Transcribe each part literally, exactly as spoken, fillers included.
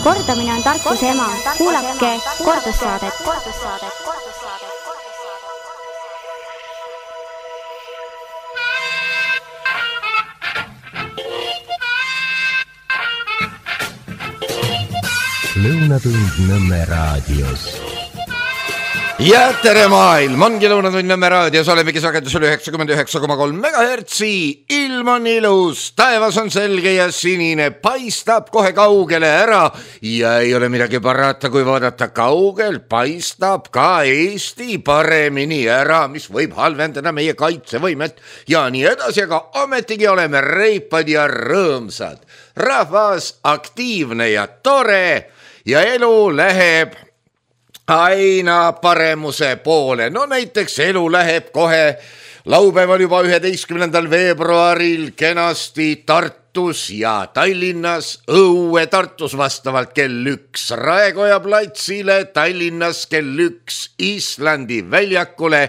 Kordamine on tarkuse ema. Kuulake kordussaadet. Lõunatund Nõmme raadios. Ja tere maailm, ongi Lõunatund Nõmme raadios, olemegi sagedusel üheksakümmend üheksa koma kolm megahertsi. Ilm on ilus, taevas on selge ja sinine, paistab kohe kaugele ära ja ei ole midagi parata, kui vaadata kaugel, paistab ka Eesti paremini ära, mis võib halvendada meie kaitsevõimet ja nii edasi, aga ometigi oleme reipad ja rõõmsad. Rahvas aktiivne ja tore ja elu läheb aina paremuse poole. No näiteks elu läheb kohe laupäeval juba üheteistkümnendal veebruaril kenasti Tartus ja Tallinnas õue Tartus vastavalt kell üks Raekoja platsile, Tallinnas kell üks Islandi väljakule,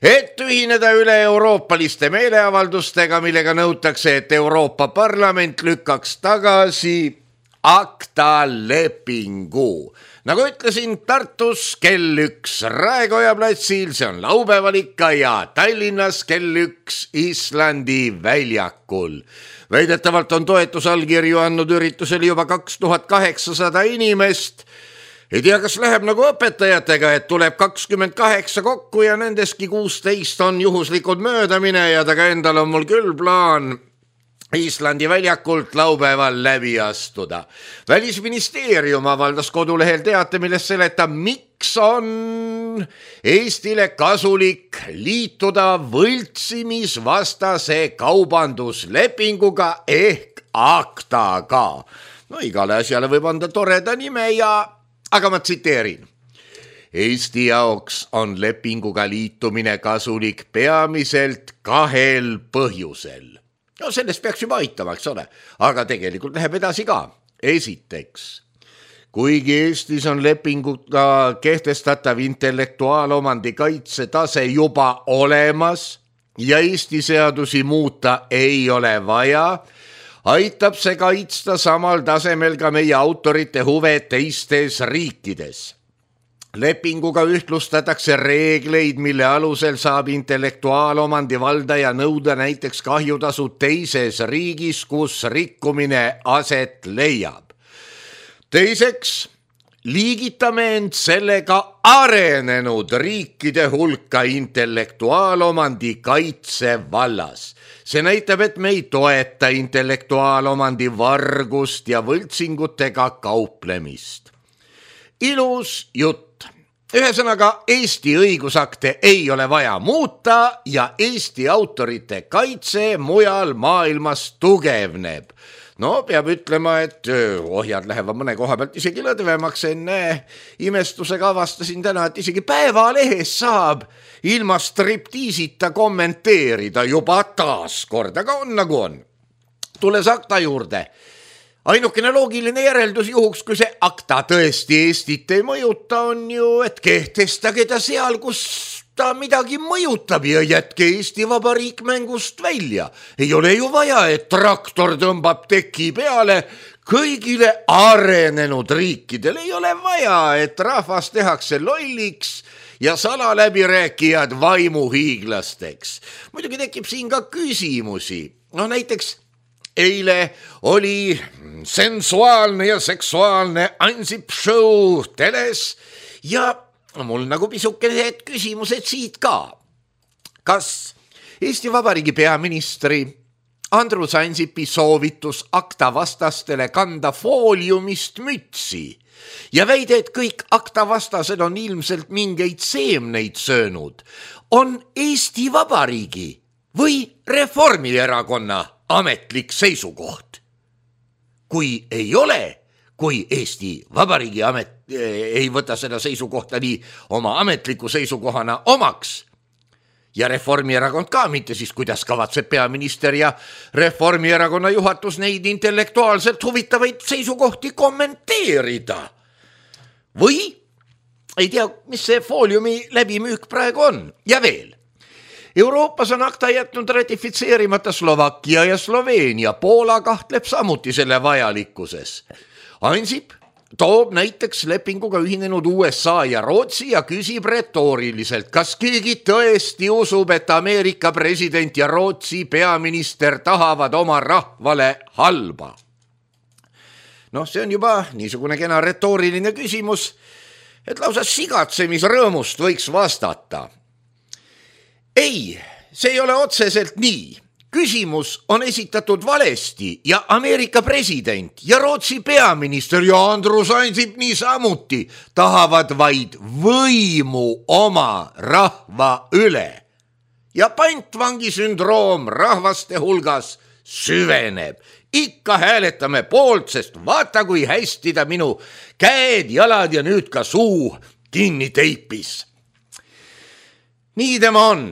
et ühineda üle euroopaliste meeleavaldustega, millega nõutakse, et Euroopa Parlament lükkaks tagasi ACTA lepingu. Nagu ütlesin, Tartus kell üks Raekoja platsil, see on laupäeval ikka, ja Tallinnas kell üks Islandi väljakul. Väidetavalt on toetusallkirju andnud üritusel juba kaks tuhat kaheksasada inimest. Ei tea, kas läheb nagu õpetajatega, et tuleb kakskümmend kaheksa kokku ja nendeski kuusteist on juhuslikud möödamine ja taga endal on mul küll plaan Islandi väljakult laupäeval läbi astuda. Välisministeerium avaldas kodulehel teate, milles seletab, miks on Eestile kasulik liituda võltsimisvastase kaubanduslepinguga ehk ACTA-ga. No igale asjale võib anda toreda nime ja, aga ma tsiteerin. Eesti jaoks on lepinguga liitumine kasulik peamiselt kahel põhjusel. No sellest peaks juba aitama, eks ole, aga tegelikult läheb edasi ka. Esiteks, kuigi Eestis on lepinguga kehtestatav intellektuaalomandi kaitse tase juba olemas ja Eesti seadusi muuta ei ole vaja, aitab see kaitsta samal tasemel ka meie autorite huve teistes riikides. Lepinguga ühtlustatakse reegleid, mille alusel saab intellektuaalomandi valdaja nõuda näiteks kahjutasu teises riigis, kus rikkumine aset leiab. Teiseks, liigitame end sellega arenenud riikide hulka intellektuaalomandi kaitse vallas. See näitab, et me ei toeta intellektuaalomandi vargust ja võltsingutega kauplemist. Ilus jutt. Ühesõnaga, Eesti õigusakte ei ole vaja muuta ja Eesti autorite kaitse mujal maailmas tugevneb. No peab ütlema, et ohjad lähevad mõne koha pealt isegi lõdvemaks. Enne imestusega avastasin täna, et isegi Päevalehes saab ilma striptiisita kommenteerida juba taas kord, aga on nagu on. Tules ACTA juurde. Ainukene loogiline järeldus juhuks, kui see ACTA tõesti Eestit ei mõjuta, on ju, et kehtestage ta seal, kus ta midagi mõjutab ja jätke Eesti Vabariik mängust välja. Ei ole ju vaja, et traktor tõmbab teki peale kõigile arenenud riikidele. Ei ole vaja, et rahvas tehakse lolliks ja salaläbirääkijad vaimuhiiglasteks. Muidugi tekib siin ka küsimusi. No näiteks eile oli sensuaalne ja seksuaalne Ansip show teles ja mul nagu pisukene küsimused siit ka. Kas Eesti Vabariigi peaministri Andrus Ansipi soovitus ACTA vastastele kanda fooliumist mütsi ja väide, et kõik ACTA vastased on ilmselt mingeid seemneid söönud, on Eesti Vabariigi või Reformierakonna ametlik seisukoht? Kui ei ole, kui Eesti Vabariigi amet ei võta seda seisukohta nii oma ametliku seisukohana omaks ja Reformierakond ka mitte, siis kuidas kavatseb peaminister ja Reformierakonna juhatus neid intellektuaalselt huvitavaid seisukohti kommenteerida? Või ei tea, mis see fooliumi läbimüük praegu on. Ja veel. Euroopas on ACTA jätnud ratifitseerimata Slovakkia ja Sloveenia. Poola kahtleb samuti selle vajalikkuses. Ansip toob näiteks lepinguga ühinenud U S A ja Rootsi ja küsib retooriliselt, kas keegi tõesti usub, et Ameerika president ja Rootsi peaminister tahavad oma rahvale halba. Noh, see on juba niisugune kena retooriline küsimus, et lausa sigatsemisrõõmust võiks vastata. Ei, see ei ole otseselt nii. Küsimus on esitatud valesti ja Ameerika president ja Rootsi peaminister ja Andrus Ansip niisamuti tahavad vaid võimu oma rahva üle. Ja pantvangisündroom rahvaste hulgas süveneb. Ikka hääletame poolt, sest vaata kui hästi ta minu käed, jalad ja nüüd ka suu kinni teipis. Nii tema on.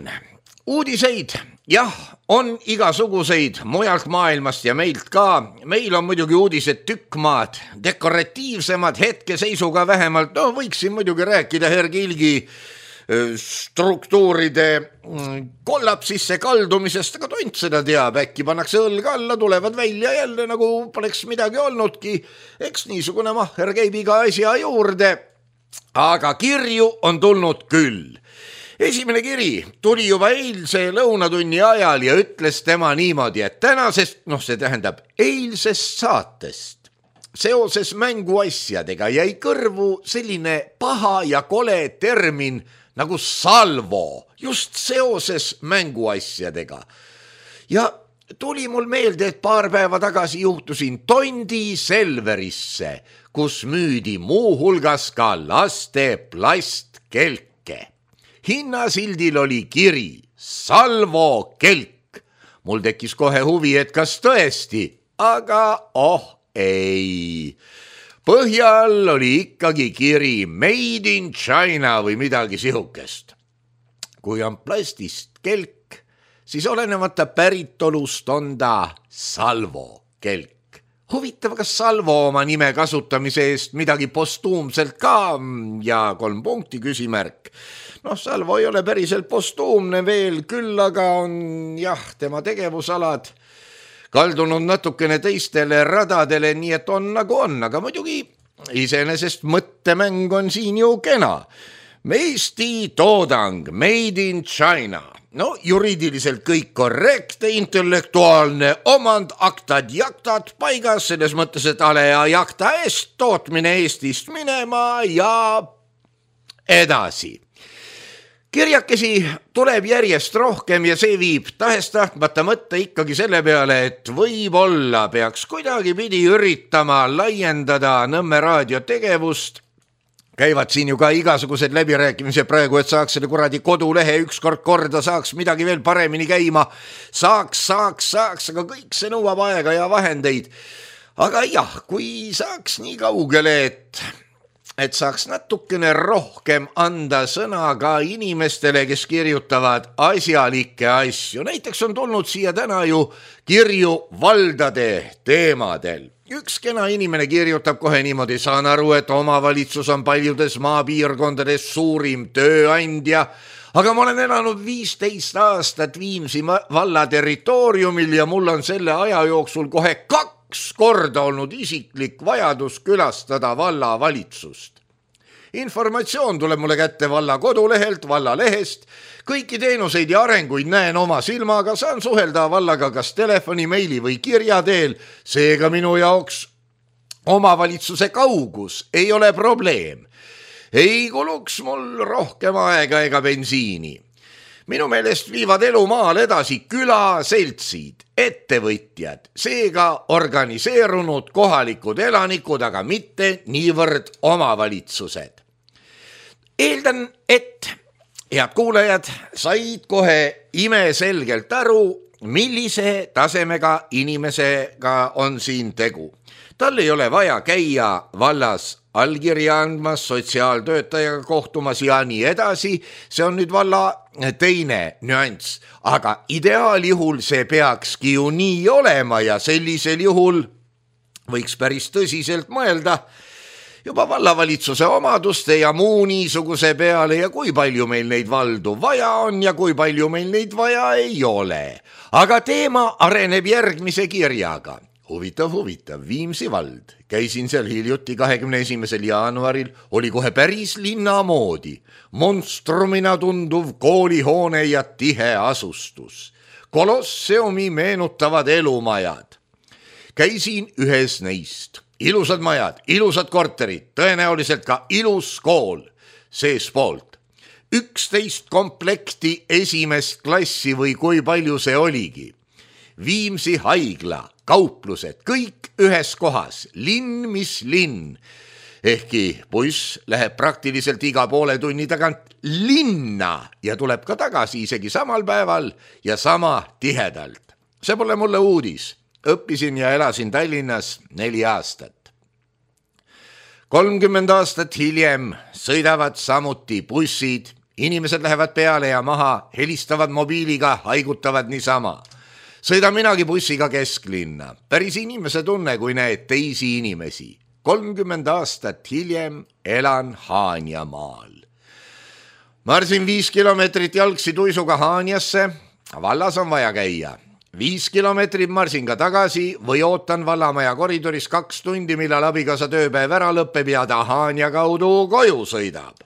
Uudiseid, jah, on igasuguseid mujalt maailmast ja meilt ka. Meil on muidugi uudised tükkmaad, dekoratiivsemad hetkeseisuga vähemalt. No võiksin muidugi rääkida Hergilgi struktuuride kollapsisse kaldumisest, aga tont seda teab, äkki pannakse õlg alla, tulevad välja jälle nagu poleks midagi olnudki. Eks niisugune mahher käib iga asja juurde, aga kirju on tulnud küll. Esimene kiri tuli juba eilse lõunatunni ajal ja ütles tema niimoodi, et tänasest, noh see tähendab eilsest saatest, seoses mänguasjadega jäi kõrvu selline paha ja kole termin nagu salvo, just seoses mänguasjadega. Ja tuli mul meelde, et paar päeva tagasi juhtusin Tondi Selverisse, kus müüdi muu hulgas ka laste plastkelke. Hinnasildil oli kiri Salvo kelk. Mul tekkis kohe huvi, et kas tõesti, aga oh ei. Põhjal oli ikkagi kiri Made in China või midagi sihukest. Kui on plastist kelk, siis olenemata päritolust on ta Salvo kelk. Huvitav, kas Salvo oma nime kasutamise eest midagi postuumselt ka ja kolm punkti küsimärk. Noh, Salvo ei ole päriselt postuumne veel, küll aga on jah, tema tegevusalad kaldunud natukene teistele radadele, nii et on nagu on, aga muidugi iseenesest mõttemäng on siin ju kena. Eesti toodang, Made in China. No juriidiliselt kõik korrekte, intellektuaalne omand, aktad, jaktad paigas, selles mõttes, et ale ja jakta eest tootmine Eestist minema ja edasi. Kirjakesi tuleb järjest rohkem ja see viib tahes-tahtmata mõtte ikkagi selle peale, et võib-olla peaks kuidagi pidi üritama laiendada Nõmme raadio tegevust. Käivad siin ju ka igasugused läbirääkimised praegu, et saaks selle kuradi kodulehe ükskord korda, saaks midagi veel paremini käima. Saaks, saaks, saaks, aga kõik see nõuab aega ja vahendeid. Aga jah, kui saaks nii kaugele, et... et saaks natukene rohkem anda sõna ka inimestele, kes kirjutavad asjalikke asju. Näiteks on tulnud siia täna ju kirju valdade teemadel. Üks kena inimene kirjutab kohe niimoodi, saan aru, et omavalitsus on paljudes maapiirkondades suurim tööandja, aga ma olen elanud viisteist aastat Viimsi valla territooriumil ja mul on selle aja jooksul kohe kaks korda olnud isiklik vajadus külastada valla valitsust. Informatsioon tuleb mulle kätte valla kodulehelt, valla lehest. Kõiki teenuseid ja arenguid näen oma silmaga, saan suhelda vallaga kas telefoni, meili või kirja teel. Seega minu jaoks omavalitsuse kaugus ei ole probleem. Ei kuluks mul rohkem aega ega bensiini. Minu meelest viivad elu maal edasi külaseltsid, ettevõtjad, seega organiseerunud kohalikud elanikud, aga mitte niivõrd omavalitsused. Eeldan, et head kuulajad said kohe imeselgelt aru, millise tasemega inimesega on siin tegu. Tal ei ole vaja käia vallas allkirja andmas, sotsiaaltöötajaga kohtumas ja nii edasi. See on nüüd valla teine nüanss, aga ideaaljuhul see peakski ju nii olema ja sellisel juhul võiks päris tõsiselt mõelda juba vallavalitsuse omaduste ja muu niisuguse peale ja kui palju meil neid valdu vaja on ja kui palju meil neid vaja ei ole. Aga teema areneb järgmise kirjaga. huvitav, huvitav, Viimsi vald. Käisin seal hiljuti kahekümne esimesel jaanuaril, oli kohe päris linna moodi. Monstrumina tunduv koolihoone ja tihe asustus. Kolosseumi meenutavad elumajad. Käisin ühes neist. Ilusad majad, ilusad korterid, tõenäoliselt ka ilus kool seespoolt. üksteist komplekti esimest klassi või kui palju see oligi. Viimsi haigla, kauplused, kõik ühes kohas, linn mis linn. Ehkki buss läheb praktiliselt iga poole tunni tagant linna ja tuleb ka tagasi isegi samal päeval ja sama tihedalt. See pole mulle uudis. Õppisin ja elasin Tallinnas neli aastat. kolmkümmend aastat hiljem sõidavad samuti bussid, inimesed lähevad peale ja maha, helistavad mobiiliga, haigutavad niisama. Sõidan minagi bussiga kesklinna, päris inimese tunne, kui näed teisi inimesi. kolmkümmend aastat hiljem elan Haanjamaal. Marsin viis kilomeetrit jalgsi tuisuga Haanjasse, vallas on vaja käia. Viis kilomeetrit marsin ka tagasi või ootan vallamaja koridoris kaks tundi, millal abikaasa tööpäev ära lõpeb ja ta Haanja kaudu koju sõidab.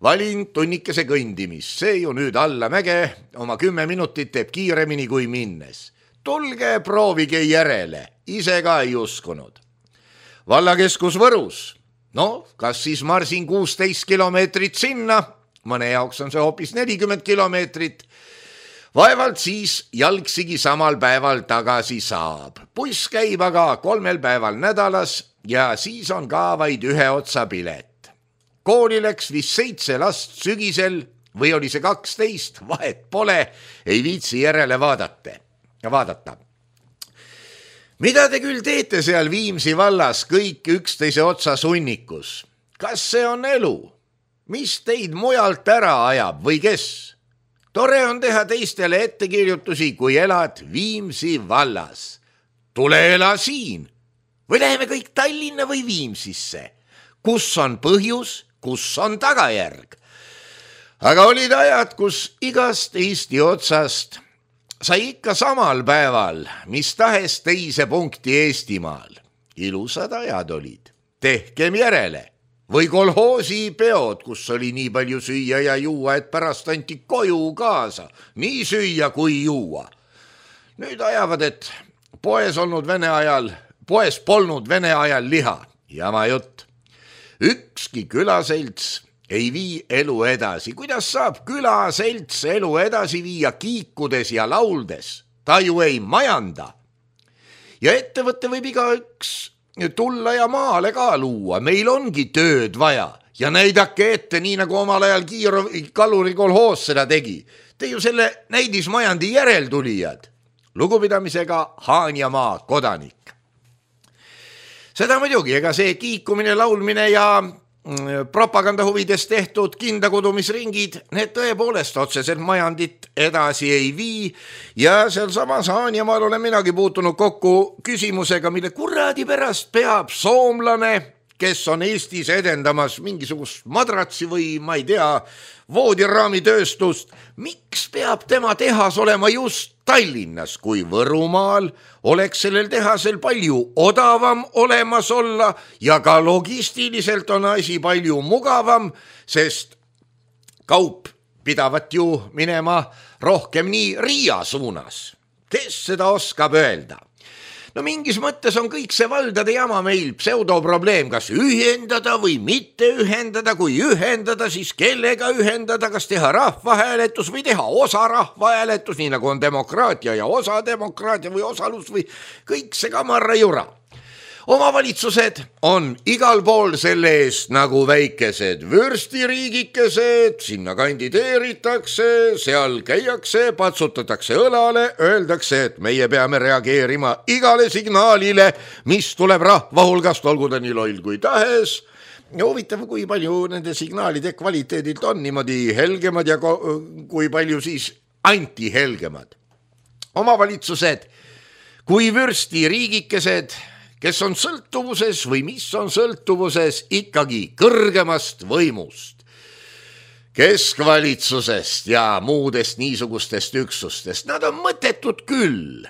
Valin tunnikese kõndimist, see ju nüüd alla mäge, oma kümme minutit teeb kiiremini kui minnes. Tulge, proovige järele, ise ka ei uskunud. Vallakeskus Võrus, no kas siis marsin kuusteist kilomeetrit sinna, mõne jaoks on see hoopis nelikümmend kilomeetrit, vaevalt siis jalgsigi samal päeval tagasi saab. Buss käib aga kolmel päeval nädalas ja siis on ka vaid ühe otsa pilet. Kooli läks vist seitse last sügisel või oli see kaksteist, vahet pole, ei viitsi järele vaadata. vaadata. Mida te küll teete seal Viimsi vallas kõik üksteise otsa sunnikus? Kas see on elu? Mis teid mujalt ära ajab või kes? Tore on teha teistele ettekirjutusi, kui elad Viimsi vallas. Tule ela siin. Või läheme kõik Tallinna või Viimsisse? Kus on põhjus, kus on tagajärg? Aga olid ajad, kus igast Eesti otsast sai ikka samal päeval, mis tahes teise punkti Eestimaal. Ilusad ajad olid. Tehkem järele. Või kolhoosi peod, kus oli nii palju süüa ja juua, et pärast anti koju kaasa. Nii süüa kui juua. Nüüd ajavad, et poes olnud vene ajal, poes polnud vene ajal liha. Jama jutt. Ükski külaselts ei vii elu edasi. Kuidas saab külaselts elu edasi viia kiikudes ja lauldes? Ta ju ei majanda. Ja ettevõtte võib igaüks tulla ja maale ka luua. Meil ongi tööd vaja ja näidake ette, nii nagu omal ajal Kiiro Kaluri kolhoos seda tegi. Te ju selle näidismajandi järeltulijad. Lugupidamisega Haanjamaa kodanik. Seda muidugi, ega see kiikumine, laulmine ja propaganda huvides tehtud kindakudumisringid, need tõepoolest otseselt majandit edasi ei vii ja seal samas Haanjamaal olen minagi puutunud kokku küsimusega, mille kuradi pärast peab soomlane, kes on Eestis edendamas mingisugust madratsi või ma ei tea, voodiraamitööstust, miks peab tema tehas olema just Tallinnas, kui Võrumaal oleks sellel tehasel palju odavam olemas olla ja ka logistiliselt on asi palju mugavam, sest kaup pidavat ju minema rohkem nii Riia suunas. Kes seda oskab öelda? No mingis mõttes on kõik see valdade jama meil pseudoprobleem, kas ühendada või mitte ühendada, kui ühendada, siis kellega ühendada, kas teha rahvahääletus või teha osa rahvahääletus, nii nagu on demokraatia ja osa demokraatia või osalus või kõik see kamarra jura. Omavalitsused on igal pool selle eest nagu väikesed vürstiriigikesed, sinna kandideeritakse, seal käiakse, patsutatakse õlale, öeldakse, et meie peame reageerima igale signaalile, mis tuleb rahva hulgast, olgu ta nii loll kui tahes. Ja huvitav, kui palju nende signaalide kvaliteedilt on niimoodi helgemad ja kui palju siis antihelgemad. Omavalitsused kui vürstiriigikesed, kes on sõltuvuses või mis on sõltuvuses ikkagi kõrgemast võimust, keskvalitsusest ja muudest niisugustest üksustest. Nad on mõttetud küll,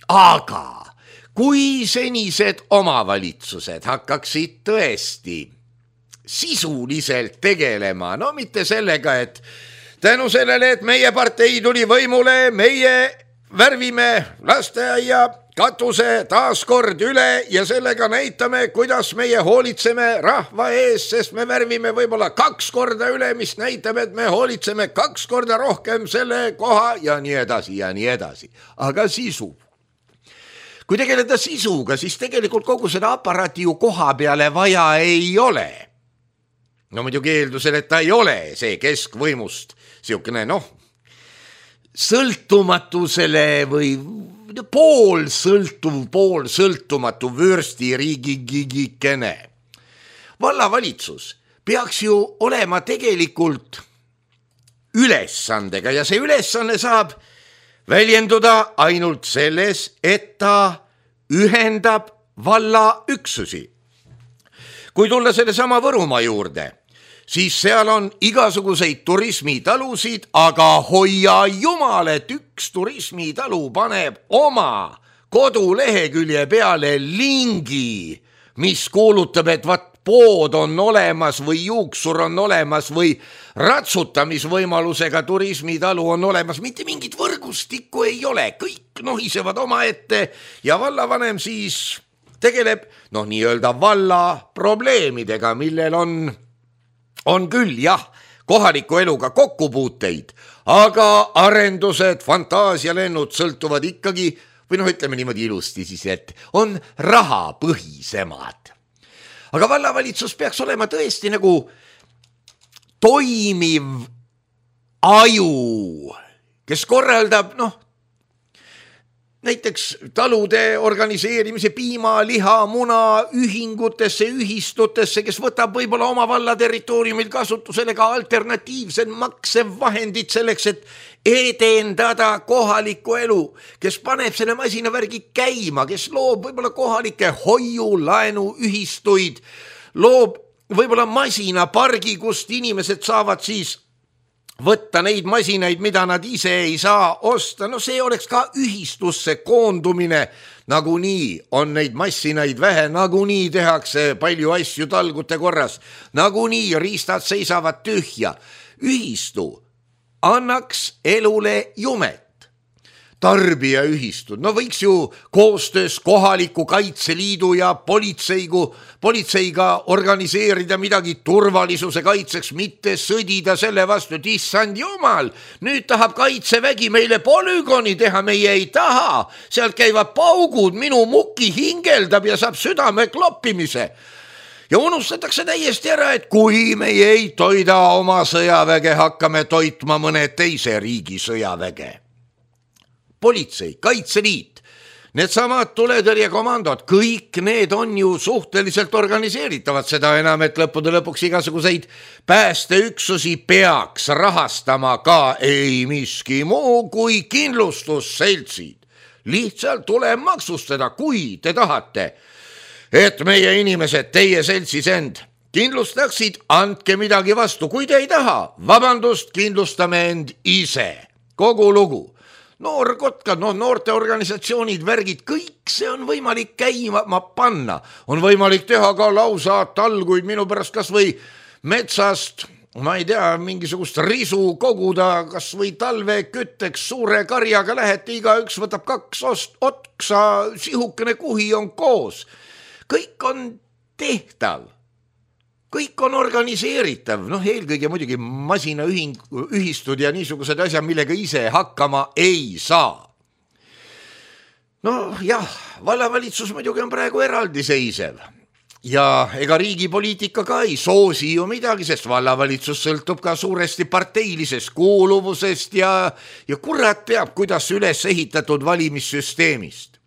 aga kui senised omavalitsused hakkaksid tõesti sisuliselt tegelema, no mitte sellega, et tänu sellele, et meie partei tuli võimule, meie värvime lasteaia katuse taas kord üle ja sellega näitame, kuidas meie hoolitseme rahva ees, sest me värvime võib-olla kaks korda üle, mis näitab, et me hoolitseme kaks korda rohkem selle koha ja nii edasi ja nii edasi. Aga sisu. Kui tegeleda sisuga, siis tegelikult kogu seda aparaati ju koha peale vaja ei ole. No muidugi eeldusel, et ta ei ole see keskvõimust siukene, noh, sõltumatusele või pool sõltuv, pool sõltumatu vürsti riigigigikene. Vallavalitsus peaks ju olema tegelikult ülesandega ja see ülesanne saab väljenduda ainult selles, et ta ühendab valla üksusi. Kui tulla selle sama Võrumaa juurde, siis seal on igasuguseid turismitalusid, aga hoia jumal, et üks turismitalu paneb oma kodulehekülje peale lingi, mis kuulutab, et vat pood on olemas või juuksur on olemas või ratsutamisvõimalusega turismitalu on olemas. Mitte mingit võrgustikku ei ole, kõik nohisevad oma ette ja vallavanem siis tegeleb noh, nii-öelda valla probleemidega, millel on On küll, jah, kohaliku eluga kokkupuuteid, aga arendused, fantaasialennud sõltuvad ikkagi, või noh, ütleme niimoodi ilusti siis, et on rahapõhisemad. Aga vallavalitsus peaks olema tõesti nagu toimiv aju, kes korraldab, noh, näiteks talude organiseerimise piima, liha, muna ühingutesse, ühistutesse, kes võtab võib-olla oma valla territooriumil kasutusele ka alternatiivsed maksevahendid selleks, et edendada kohalikku elu, kes paneb selle masinavärgi käima, kes loob võib-olla kohalike hoiu, laenu, ühistuid, loob võib-olla masinapargi, kust inimesed saavad siis võtta neid masinaid, mida nad ise ei saa osta. No see oleks ka ühistusse koondumine. Nagunii on neid massinaid vähe, nagunii tehakse palju asju talgute korras, nagunii riistad seisavad tühja. Ühistu annaks elule jumet. Tarbijaühistud, no võiks ju koostöös kohaliku Kaitseliidu ja politseigu, politseiga organiseerida midagi turvalisuse kaitseks, mitte sõdida selle vastu, et issand jumal, nüüd tahab Kaitsevägi meile polügooni teha, meie ei taha, sealt käivad paugud, minu muki hingeldab ja saab südame kloppimise. Ja unustatakse täiesti ära, et kui meie ei toida oma sõjaväge, hakkame toitma mõne teise riigi sõjaväge. Politsei, Kaitseliit, need samad tuletõrjekomandod, kõik need on ju suhteliselt organiseeritavad, seda enam, et lõppude lõpuks igasuguseid päästeüksusi peaks rahastama ka ei miski muu kui kindlustusseltsid. Lihtsalt tuleb maksustada, kui te tahate, et meie inimesed teie seltsis end kindlustaksid, andke midagi vastu, kui te ei taha, vabandust, kindlustame end ise, kogu lugu. Noorkotkad, no noorte organisatsioonid, värgid, kõik see on võimalik käima panna. On võimalik teha ka lausa talguid minu pärast kas või metsast, ma ei tea, mingisugust risu koguda, kas või talve kütteks suure karjaga lähete, igaüks võtab kaks ost, otsa, sihukene kuhi on koos. Kõik on tehtav. Kõik on organiseeritav, noh eelkõige muidugi masinaühing, ühistud ja niisugused asjad, millega ise hakkama ei saa. No jah, vallavalitsus muidugi on praegu eraldiseisev ja ega riigipoliitika ka ei soosi ju midagi, sest vallavalitsus sõltub ka suuresti parteilisest kuuluvusest ja, ja kurat teab, kuidas üles ehitatud valimissüsteemist.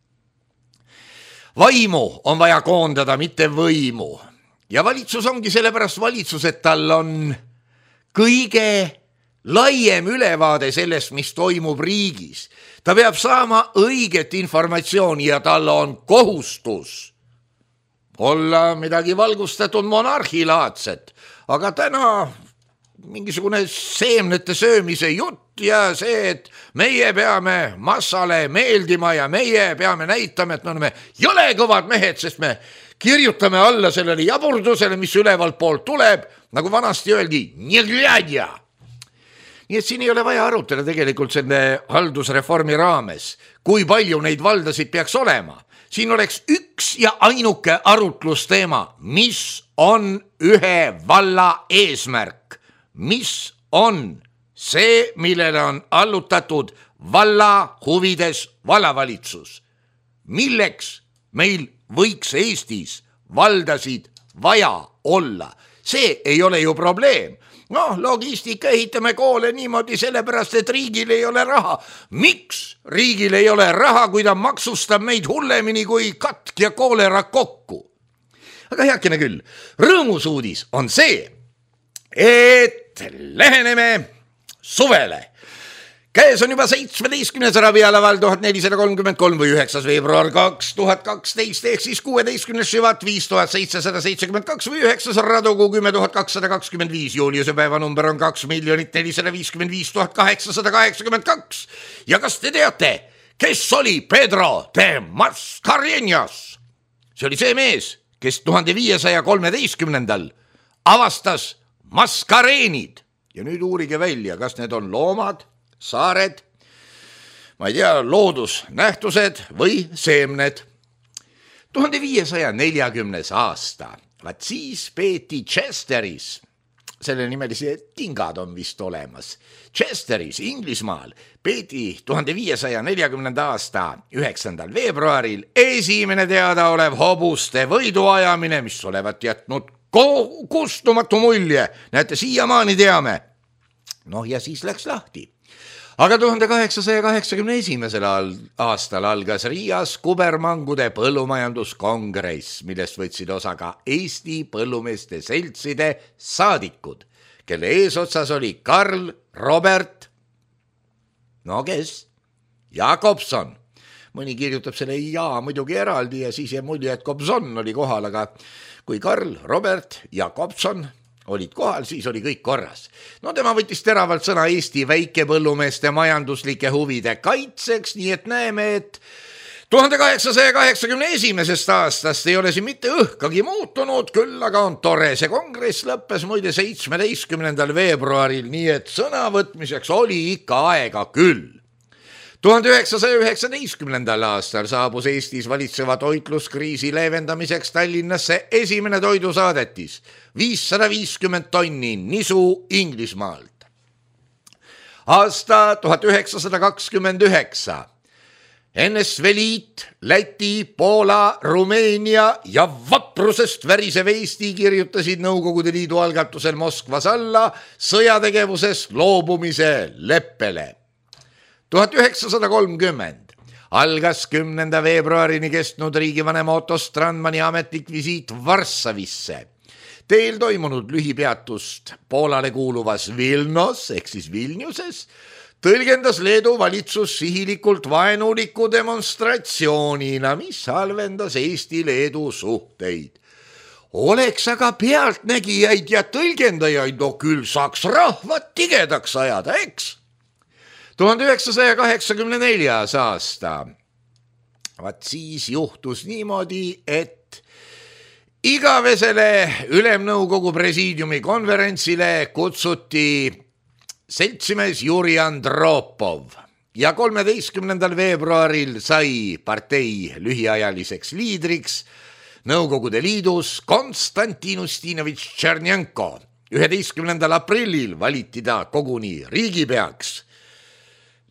Vaimu on vaja koondada, mitte võimu. Ja valitsus ongi sellepärast valitsus, et tal on kõige laiem ülevaade sellest, mis toimub riigis. Ta peab saama õiget informatsiooni ja tal on kohustus olla midagi valgustatud monarhilaadset. Aga täna mingisugune seemnete söömise jutt ja see, et meie peame massale meeldima ja meie peame näitama, et me oleme jõle kõvad mehed, sest me kirjutame alla sellele jaburdusele, mis ülevalt poolt tuleb, nagu vanasti öeldi, nii et siin ei ole vaja arutada tegelikult selle haldusreformi raames, kui palju neid valdasid peaks olema. Siin oleks üks ja ainuke arutlusteema, mis on ühe valla eesmärk, mis on see, millele on allutatud valla huvides vallavalitsus. Milleks meil võiks Eestis valdasid vaja olla? See ei ole ju probleem. No, logistika ehitame koole niimoodi sellepärast, et riigil ei ole raha. Miks riigil ei ole raha, kui ta maksustab meid hullemini kui katk ja koolera kokku? Aga heakene küll, rõõmus uudis on see, et läheneme suvele. Käes on juba seitsmeteistkümnes ravialaval tuhat nelisada kolmkümmend kolm või üheksas veebruar kaks tuhat kaksteist ehk siis kuueteistkümnes Šivat viis tuhat seitsesada seitsekümmend kaks või üheksas Radugu kümme tuhat kakssada kakskümmend viis. Juuliuse päeva number on kaks miljonit nelisada viiskümmend viis tuhat kaheksasada kaheksakümmend kaks. Ja kas te teate, kes oli Pedro de Mascareñas? See oli see mees, kes tuhande viiesaja kolmeteistkümnendal avastas maskareenid. Ja nüüd uurige välja, kas need on loomad, saared, ma ei tea, loodusnähtused või seemned. tuhande viiesaja neljakümnes aasta, vaat siis peeti Chesteris, selle nimelisi tingad on vist olemas, Chesteris, Inglismaal, peeti tuhande viiesaja neljakümnenda aasta üheksandal veebruaril esimene teadaolev hobuste võiduajamine, mis olevat jätnud kustumatu mulje. Näete, siiamaani teame. Noh, ja siis läks lahti. Aga tuhande kaheksasaja kaheksakümne esimesel aastal algas Riias kubermangude põllumajanduskongress, millest võtsid osa ka Eesti põllumeeste seltside saadikud, kelle eesotsas oli Karl Robert, no kes? Jakobson. Mõni kirjutab selle ja muidugi eraldi ja siis jäi mulje, et Kobson oli kohal, aga kui Karl Robert Jakobson olid kohal, siis oli kõik korras. No tema võttis teravalt sõna Eesti väikepõllumeeste majanduslike huvide kaitseks, nii et näeme, et tuhande kaheksasaja kaheksakümne esimesest aastast ei ole siin mitte õhkagi muutunud, küll aga on tore. See kongress lõppes muide seitsmeteistkümnendal veebruaril, nii et sõnavõtmiseks oli ikka aega küll. tuhande üheksasaja üheksateistkümnendal aastal saabus Eestis valitseva toitluskriisi leevendamiseks Tallinnasse esimene toidusaadetis, viissada viiskümmend tonni nisu Inglismaalt. Aasta tuhat üheksasada kakskümmend üheksa. N S V Liit, Läti, Poola, Rumeenia ja vaprusest värisev Eesti kirjutasid Nõukogude Liidu algatusel Moskvas alla sõjategevuses loobumise leppele. tuhat üheksasada kolmkümmend algas kümnenda veebruarini kestnud riigivanema Otto Strandmani ametlik visiit Varssavisse. Teel toimunud lühipeatust Poolale kuuluvas Vilnos ehk siis Vilniuses tõlgendas Leedu valitsus sihilikult vaenuliku demonstratsioonina, mis halvendas Eesti-Leedu suhteid. Oleks aga pealtnägijaid ja tõlgendajaid, no küll saaks rahvad tigedaks ajada, eks? tuhande üheksasaja kaheksakümne neljas aasta. Vaat siis juhtus niimoodi, et igavesele Ülemnõukogu presiidiumi konverentsile kutsuti seltsimees Juri Andropov ja kolmeteistkümnendal veebruaril sai partei lühiajaliseks liidriks Nõukogude Liidus Konstantin Ustinovitš Tšernjenko. üheteistkümnendal aprillil valiti ta koguni riigipeaks.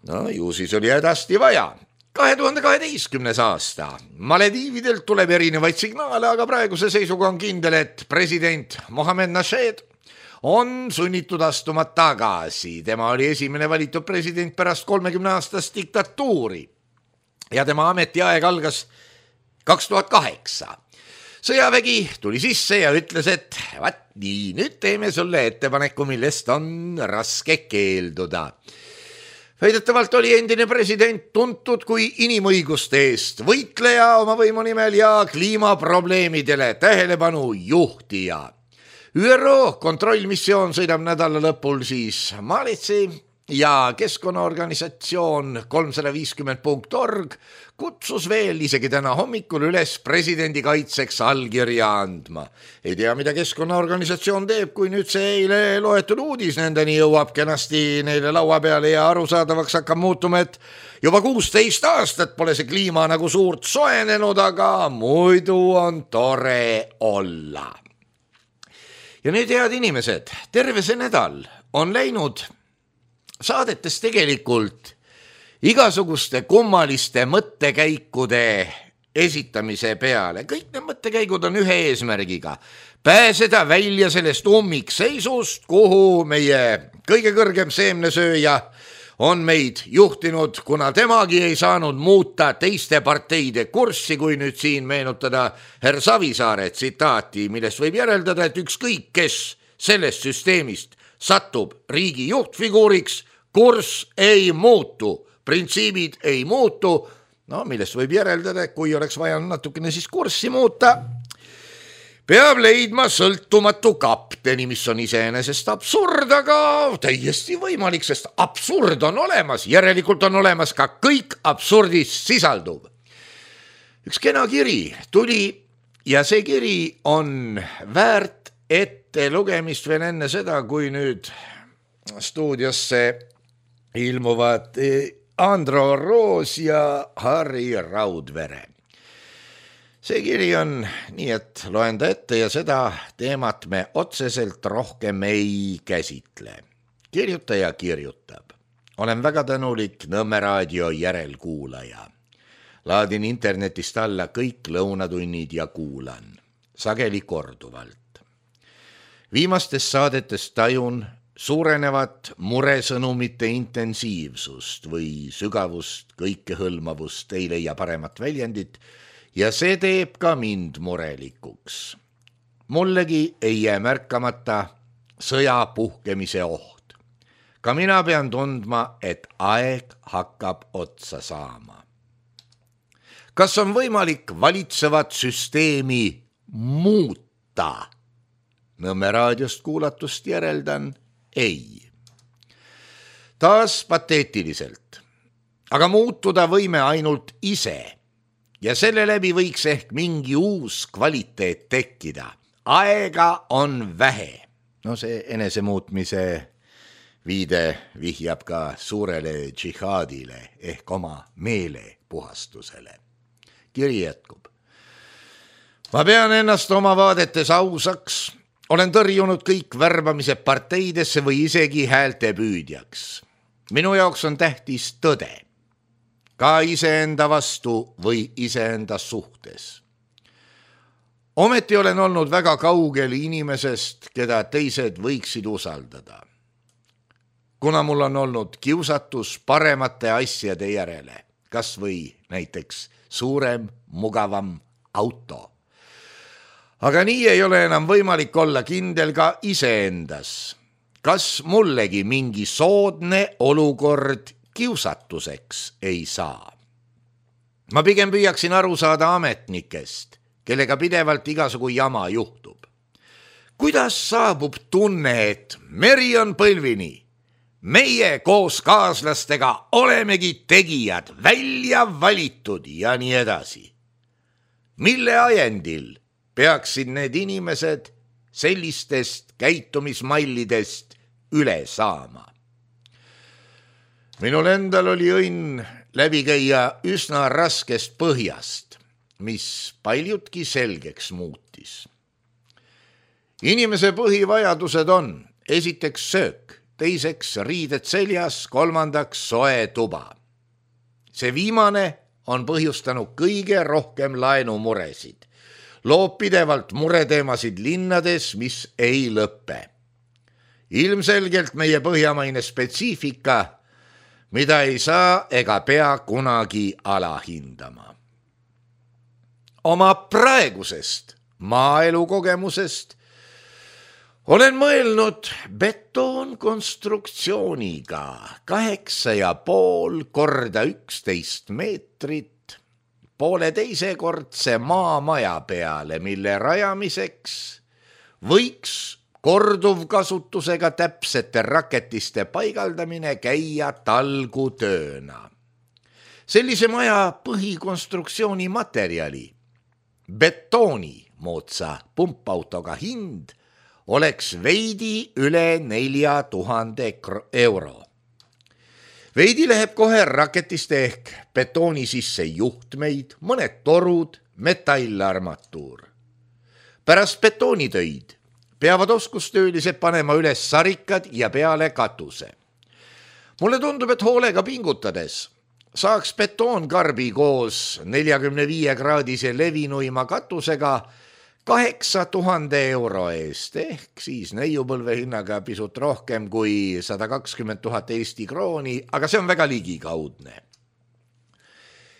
No ju siis oli hädasti vaja. kahe tuhande kaheteistkümnes aasta. Malediividelt tuleb erinevaid signaale, aga praeguse seisuga on kindel, et president Mohamed Nasheed on sunnitud astuma tagasi. Tema oli esimene valitud president pärast kolmekümne aastast diktatuuri ja tema ametiaeg algas kaks tuhat kaheksa. Sõjavägi tuli sisse ja ütles, et vaat nii, nüüd teeme sulle ettepaneku, millest on raske keelduda. Väidetavalt oli endine president tuntud kui inimõiguste eest võitleja oma võimu nimel ja kliimaprobleemidele tähelepanu juhtija. ÜRO kontrollmissioon sõidab nädala lõpul siis Maalitsi ja keskkonnaorganisatsioon kolmsada viiskümmend punkt org kutsus veel isegi täna hommikul üles presidendi kaitseks allkirja andma. Ei tea, mida keskkonnaorganisatsioon teeb, kui nüüd see eile loetud uudis nendeni jõuab kenasti neile laua peale ja arusaadavaks hakkab muutuma, et juba kuusteist aastat pole see kliima nagu suurt soenenud, aga muidu on tore olla. Ja nüüd, head inimesed, terve see nädal on läinud saadetes tegelikult igasuguste kummaliste mõttekäikude esitamise peale. Kõik need mõttekäigud on ühe eesmärgiga. Pääseda välja sellest ummikseisust, kuhu meie kõige kõrgem seemnesööja on meid juhtinud, kuna temagi ei saanud muuta teiste parteide kurssi, kui nüüd siin meenutada herr Savisaare tsitaati, millest võib järeldada, et ükskõik kes sellest süsteemist satub riigi juhtfiguuriks, kurss ei muutu, printsiibid ei muutu, no millest võib järeldada, et kui oleks vaja natukene siis kurssi muuta, peab leidma sõltumatu kapteni, mis on iseenesest absurd, aga täiesti võimalik, sest absurd on olemas, järelikult on olemas ka kõik absurdis sisalduv. Üks kena kiri tuli ja see kiri on väärt ette lugemist veel enne seda, kui nüüd stuudiosse ilmuvad Andro Roos ja Harri Raudvere. See kiri on nii, et loen ta ette ja seda teemat me otseselt rohkem ei käsitle. Kirjutaja kirjutab. Olen väga tänulik Nõmme raadio järelkuulaja. Laadin internetist alla kõik lõunatunnid ja kuulan. Sageli korduvalt. Viimastes saadetes tajun suurenevat muresõnumite intensiivsust või sügavust, kõikehõlmavust, ei leia paremat väljendit, ja see teeb ka mind murelikuks. Mullegi ei jää märkamata sõja puhkemise oht. Ka mina pean tundma, et aeg hakkab otsa saama. Kas on võimalik valitsevat süsteemi muuta? Nõmme raadiost kuulatust järeldan ei. Taas pateetiliselt. Aga muutuda võime ainult ise. Ja selle läbi võiks ehk mingi uus kvaliteet tekkida. Aega on vähe. No see enesemuutmise viide vihjab ka suurele džihaadile ehk oma meele puhastusele. Kiri jätkub. Ma pean ennast oma vaadetes ausaks. Olen tõrjunud kõik värbamise parteidesse või isegi häälte püüdjaks. Minu jaoks on tähtis tõde. Ka iseenda vastu või iseenda suhtes. Ometi olen olnud väga kaugel inimesest, keda teised võiksid usaldada. Kuna mul on olnud kiusatus paremate asjade järele, kas või näiteks suurem, mugavam auto. Aga nii ei ole enam võimalik olla kindel ka iseendas. Kas mullegi mingi soodne olukord kiusatuseks ei saa? Ma pigem püüaksin aru saada ametnikest, kellega pidevalt igasugu jama juhtub. Kuidas saabub tunne, et meri on põlvini? Meie koos kaaslastega olemegi tegijad, välja valitud ja nii edasi. Mille ajendil peaksid need inimesed sellistest käitumismallidest üle saama? Minul endal oli õnn läbi käia üsna raskest põhjast, mis paljutki selgeks muutis. Inimese põhivajadused on esiteks söök, teiseks riided seljas, kolmandaks soe tuba. See viimane on põhjustanud kõige rohkem laenumuresid. Loob pidevalt mureteemasid linnades, mis ei lõppe. Ilmselgelt meie põhjamaine spetsiifika, mida ei saa ega pea kunagi alahindama. Oma praegusest maaelukogemusest olen mõelnud betoonkonstruktsiooniga kaheksa ja pool korda üksteist meetrit poole teisekordse maamaja peale, mille rajamiseks võiks korduvkasutusega täpsete raketiste paigaldamine käia talgutööna. Sellise maja põhikonstruktsiooni materjali, betooni moodsa pumpautoga hind oleks veidi üle nelja tuhande euro. Veidi läheb kohe raketiste ehk betooni sisse juhtmeid, mõned torud, metallarmatuur. Pärast betoonitöid peavad oskustöölised panema üles sarikad ja peale katuse. Mulle tundub, et hoolega pingutades saaks betoonkarbi koos neljakümne viie kraadise levinuima katusega kaheksa tuhande euro eest ehk siis neiupõlve hinnaga pisut rohkem kui sada kakskümmend tuhat Eesti krooni, aga see on väga ligikaudne.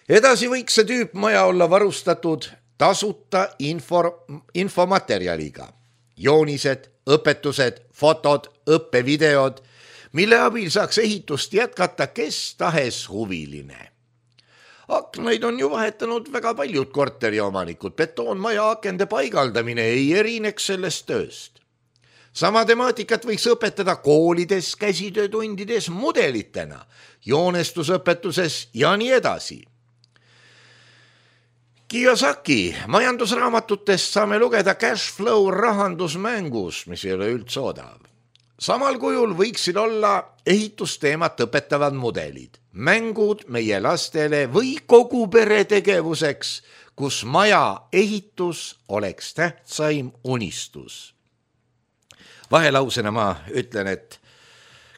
Edasi võiks see tüüpmaja olla varustatud tasuta info, infomaterjaliga, joonised, õpetused, fotod, õppevideod, mille abil saaks ehitust jätkata kes tahes huviline. Aknaid on ju vahetanud väga paljud korteriomanikud, betoonmaja akende paigaldamine ei erineks sellest tööst. Sama temaatikat võiks õpetada koolides, käsitöötundides, mudelitena, joonestusõpetuses ja nii edasi. Kiyosaki majandusraamatutest saame lugeda cash flow rahandusmängus, mis ei ole üldse odav. Samal kujul võiksid olla ehitusteemat õpetavad mudelid, mängud meie lastele või kogu pere tegevuseks, kus maja ehitus oleks tähtsaim unistus. Vahelausena ma ütlen, et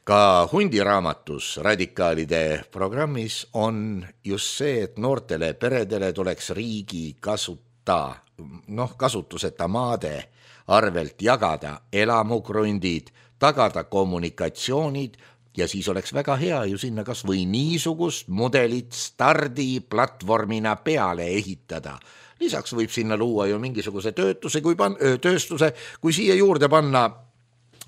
ka hundiraamatus radikaalide programmis on just see, et noortele peredele tuleks riigi kasuta, noh, kasutuseta maade arvelt jagada elamukrundid, tagada kommunikatsioonid ja siis oleks väga hea ju sinna kas või niisugust mudelit stardiplatvormina peale ehitada. Lisaks võib sinna luua ju mingisuguse töötuse, kui pan, tööstuse, kui siia juurde panna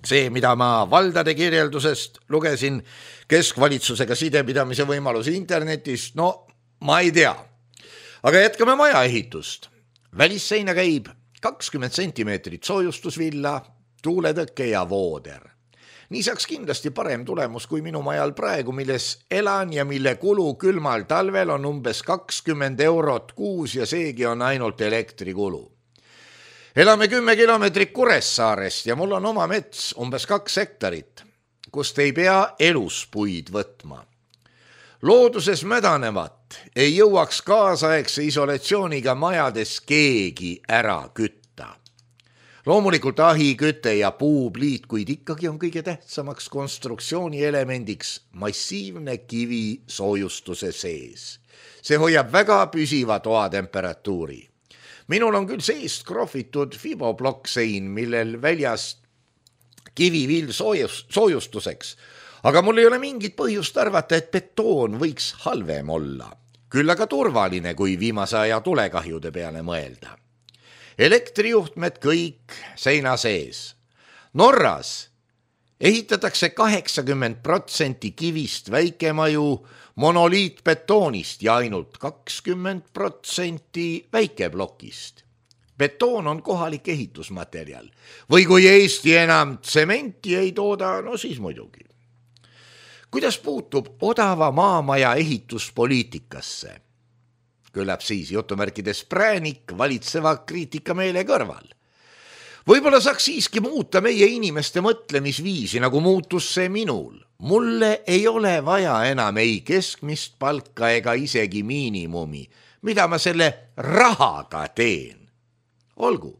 see, mida ma valdade kirjeldusest lugesin, keskvalitsusega sidepidamise võimalus internetis, no ma ei tea. Aga jätkame maja ehitust. Välisseina käib kakskümmend sentimeetrit soojustusvilla, tuuletõkke ja vooder. Nii saaks kindlasti parem tulemus kui minu majal praegu, milles elan ja mille kulu külmal talvel on umbes kakskümmend eurot kuus ja seegi on ainult elektrikulu. Elame kümme kilomeetrit Kuressaarest ja mul on oma mets umbes kaks hektarit, kust ei pea elus puid võtma. Looduses mädanevat ei jõuaks kaasaegse isolatsiooniga majades keegi ära kütta. Loomulikult ahi, küte ja puupliit, kuid ikkagi on kõige tähtsamaks konstruktsiooni elemendiks massiivne kivi soojustuse sees. See hoiab väga püsiva toatemperatuuri. Minul on küll seest krohvitud fiboblokksein, millel väljast kivivill soojus, soojustuseks, aga mul ei ole mingit põhjust arvata, et betoon võiks halvem olla. Küll aga turvaline, kui viimase aja tulekahjude peale mõelda. Elektrijuhtmed kõik seina sees. Norras ehitatakse kaheksakümmend protsenti kivist väikemaju monoliitbetoonist ja ainult kakskümmend protsenti väikeblokist. Betoon on kohalik ehitusmaterjal. Või kui Eesti enam tsementi ei tooda, no siis muidugi. Kuidas puutub odava maamaja ehituspoliitikasse? Küllap siis jutumärkides präänik valitseva kriitikameele kõrval. Võib-olla saaks siiski muuta meie inimeste mõtlemisviisi, nagu muutus see minul. Mulle ei ole vaja enam ei keskmist palka ega isegi miinimumi, mida ma selle rahaga teen. Olgu,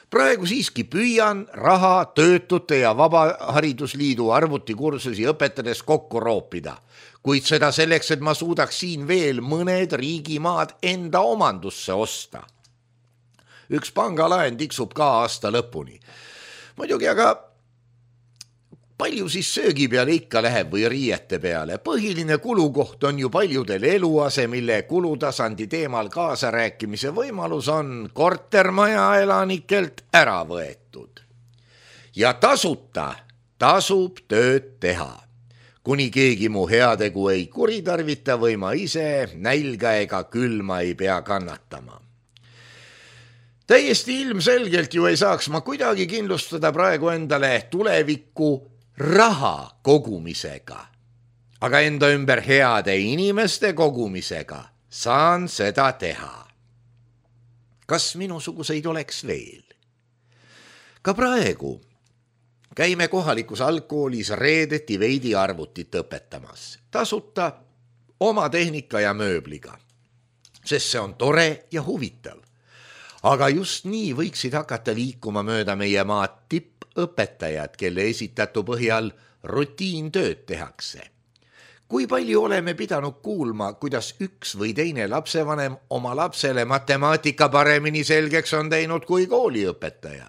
praegu siiski püüan raha töötute ja Vabaharidusliidu arvutikursusi õpetades kokku roopida, kuid seda selleks, et ma suudaks siin veel mõned riigimaad enda omandusse osta. Üks pangalaen tiksub ka aasta lõpuni. Muidugi aga palju siis söögi peale ikka läheb või riiete peale. Põhiline kulukoht on ju paljudel eluase, mille kulutasandi teemal kaasarääkimise võimalus on kortermaja elanikelt ära võetud. Ja tasuta tasub tööd teha. Kuni keegi mu heategu ei kuritarvita või ma ise nälga ega külma ei pea kannatama. täiesti ilmselgelt ju ei saaks ma kuidagi kindlustada praegu endale tulevikku raha kogumisega, aga enda ümber heade inimeste kogumisega saan seda teha. Kas minusuguseid oleks veel? Ka praegu käime kohalikus algkoolis reedeti veidi arvutit õpetamas, tasuta oma tehnika ja mööbliga, sest see on tore ja huvitav. Aga just nii võiksid hakata liikuma mööda meie maad tippõpetajad, kelle esitatu põhjal rutiintööd tehakse. Kui palju oleme pidanud kuulma, kuidas üks või teine lapsevanem oma lapsele matemaatika paremini selgeks on teinud kui kooliõpetaja.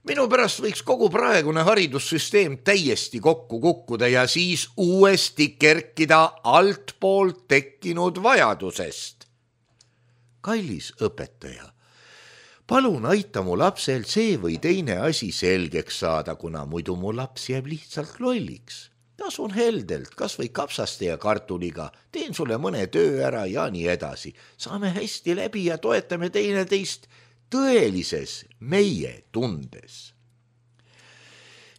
Minu pärast võiks kogu praegune haridussüsteem täiesti kokku kukkuda ja siis uuesti kerkida altpoolt tekkinud vajadusest. Kallis õpetaja, palun aita mu lapsel see või teine asi selgeks saada, kuna muidu mu laps jääb lihtsalt lolliks. Tasun heldelt, kas või kapsaste ja kartuliga, teen sulle mõne töö ära ja nii edasi. Saame hästi läbi ja toetame teineteist tõelises meie tundes.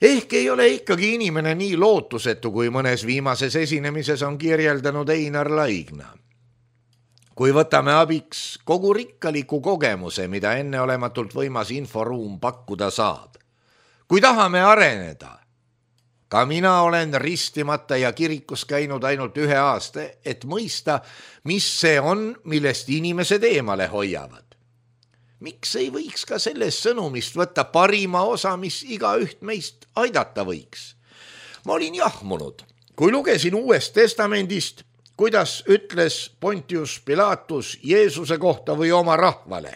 Ehk ei ole ikkagi inimene nii lootusetu, kui mõnes viimases esinemises on kirjeldanud Einar Laigna. Kui võtame abiks kogu rikkaliku kogemuse, mida enneolematult võimas inforuum pakkuda saab. Kui tahame areneda, ka mina olen ristimata ja kirikus käinud ainult ühe aasta, et mõista, mis see on, millest inimesed eemale hoiavad. Miks ei võiks ka sellest sõnumist võtta parima osa, mis iga üht meist aidata võiks? Ma olin jahmunud, kui lugesin Uuest Testamendist, kuidas ütles Pontius Pilatus Jeesuse kohta või oma rahvale.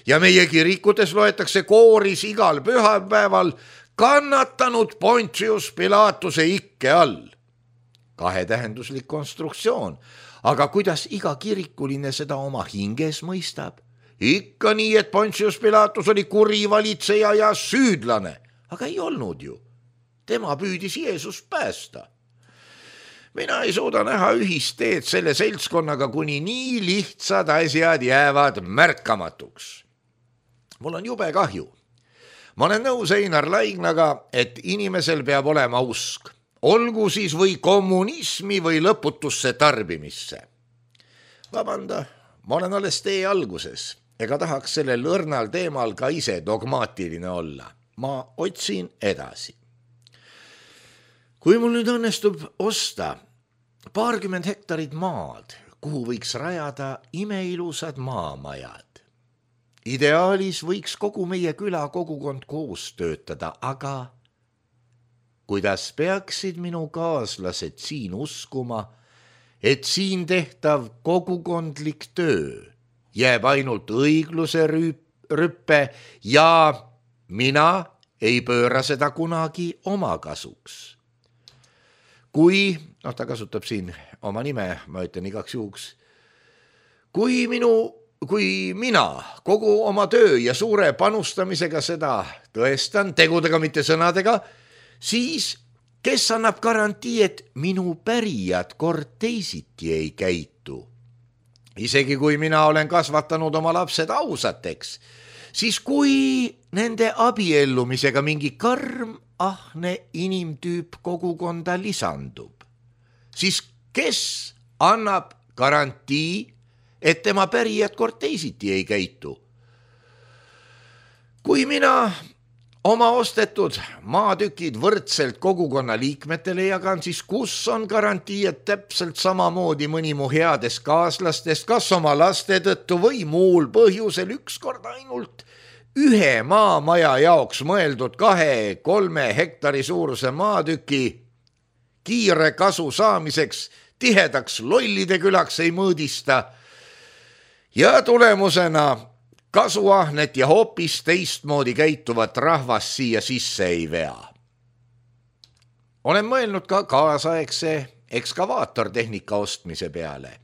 Ja meie kirikutes loetakse kooris igal pühapäeval kannatanud Pontius Pilatuse ikke all. Kahetähenduslik konstruktsioon, aga kuidas iga kirikuline seda oma hinges mõistab? Ikka nii, et Pontius Pilatus oli kuri valitseja ja süüdlane, aga ei olnud ju. Tema püüdis Jeesust päästa. Mina ei suuda näha ühist teed selle seltskonnaga, kuni nii lihtsad asjad jäävad märkamatuks. Mul on jube kahju. Ma olen nõus Einar Laignaga, et inimesel peab olema usk, olgu siis või kommunismi või lõputusse tarbimisse. Vabanda, ma olen alles tee alguses, ega tahaks sellel õrnal teemal ka ise dogmaatiline olla. Ma otsin edasi. Kui mul nüüd õnnestub osta paarkümmend hektarit maad, kuhu võiks rajada imeilusad maamajad. Ideaalis võiks kogu meie küla kogukond koos töötada, aga kuidas peaksid minu kaaslased siin uskuma, et siin tehtav kogukondlik töö jääb ainult õigluse rüppe ja mina ei pööra seda kunagi oma kasuks. Kui, noh ta kasutab siin oma nime, ma ütlen igaks juhuks, kui minu, kui mina kogu oma töö ja suure panustamisega seda tõestan, tegudega mitte sõnadega, siis kes annab garantii, et minu pärijad kord teisiti ei käitu? Isegi kui mina olen kasvatanud oma lapsed ausateks, siis kui nende abiellumisega mingi karm ahne inimtüüp kogukonda lisandub, siis kes annab garantii, et tema pärijad kord teisiti ei käitu? Kui mina oma ostetud maatükid võrdselt kogukonna liikmetele jagan, siis kus on garantii, et täpselt samamoodi mõni mu headest kaaslastest, kas oma laste tõttu või muul põhjusel ükskord ainult ühe maamaja jaoks mõeldud kahe, kolme hektari suuruse maatüki kiire kasu saamiseks tihedaks lollide külaks ei mõõdista ja tulemusena kasuahnet ja hoopis teistmoodi käituvat rahvast siia sisse ei vea. Olen mõelnud ka kaasaegse ekskavaatortehnika ostmise peale.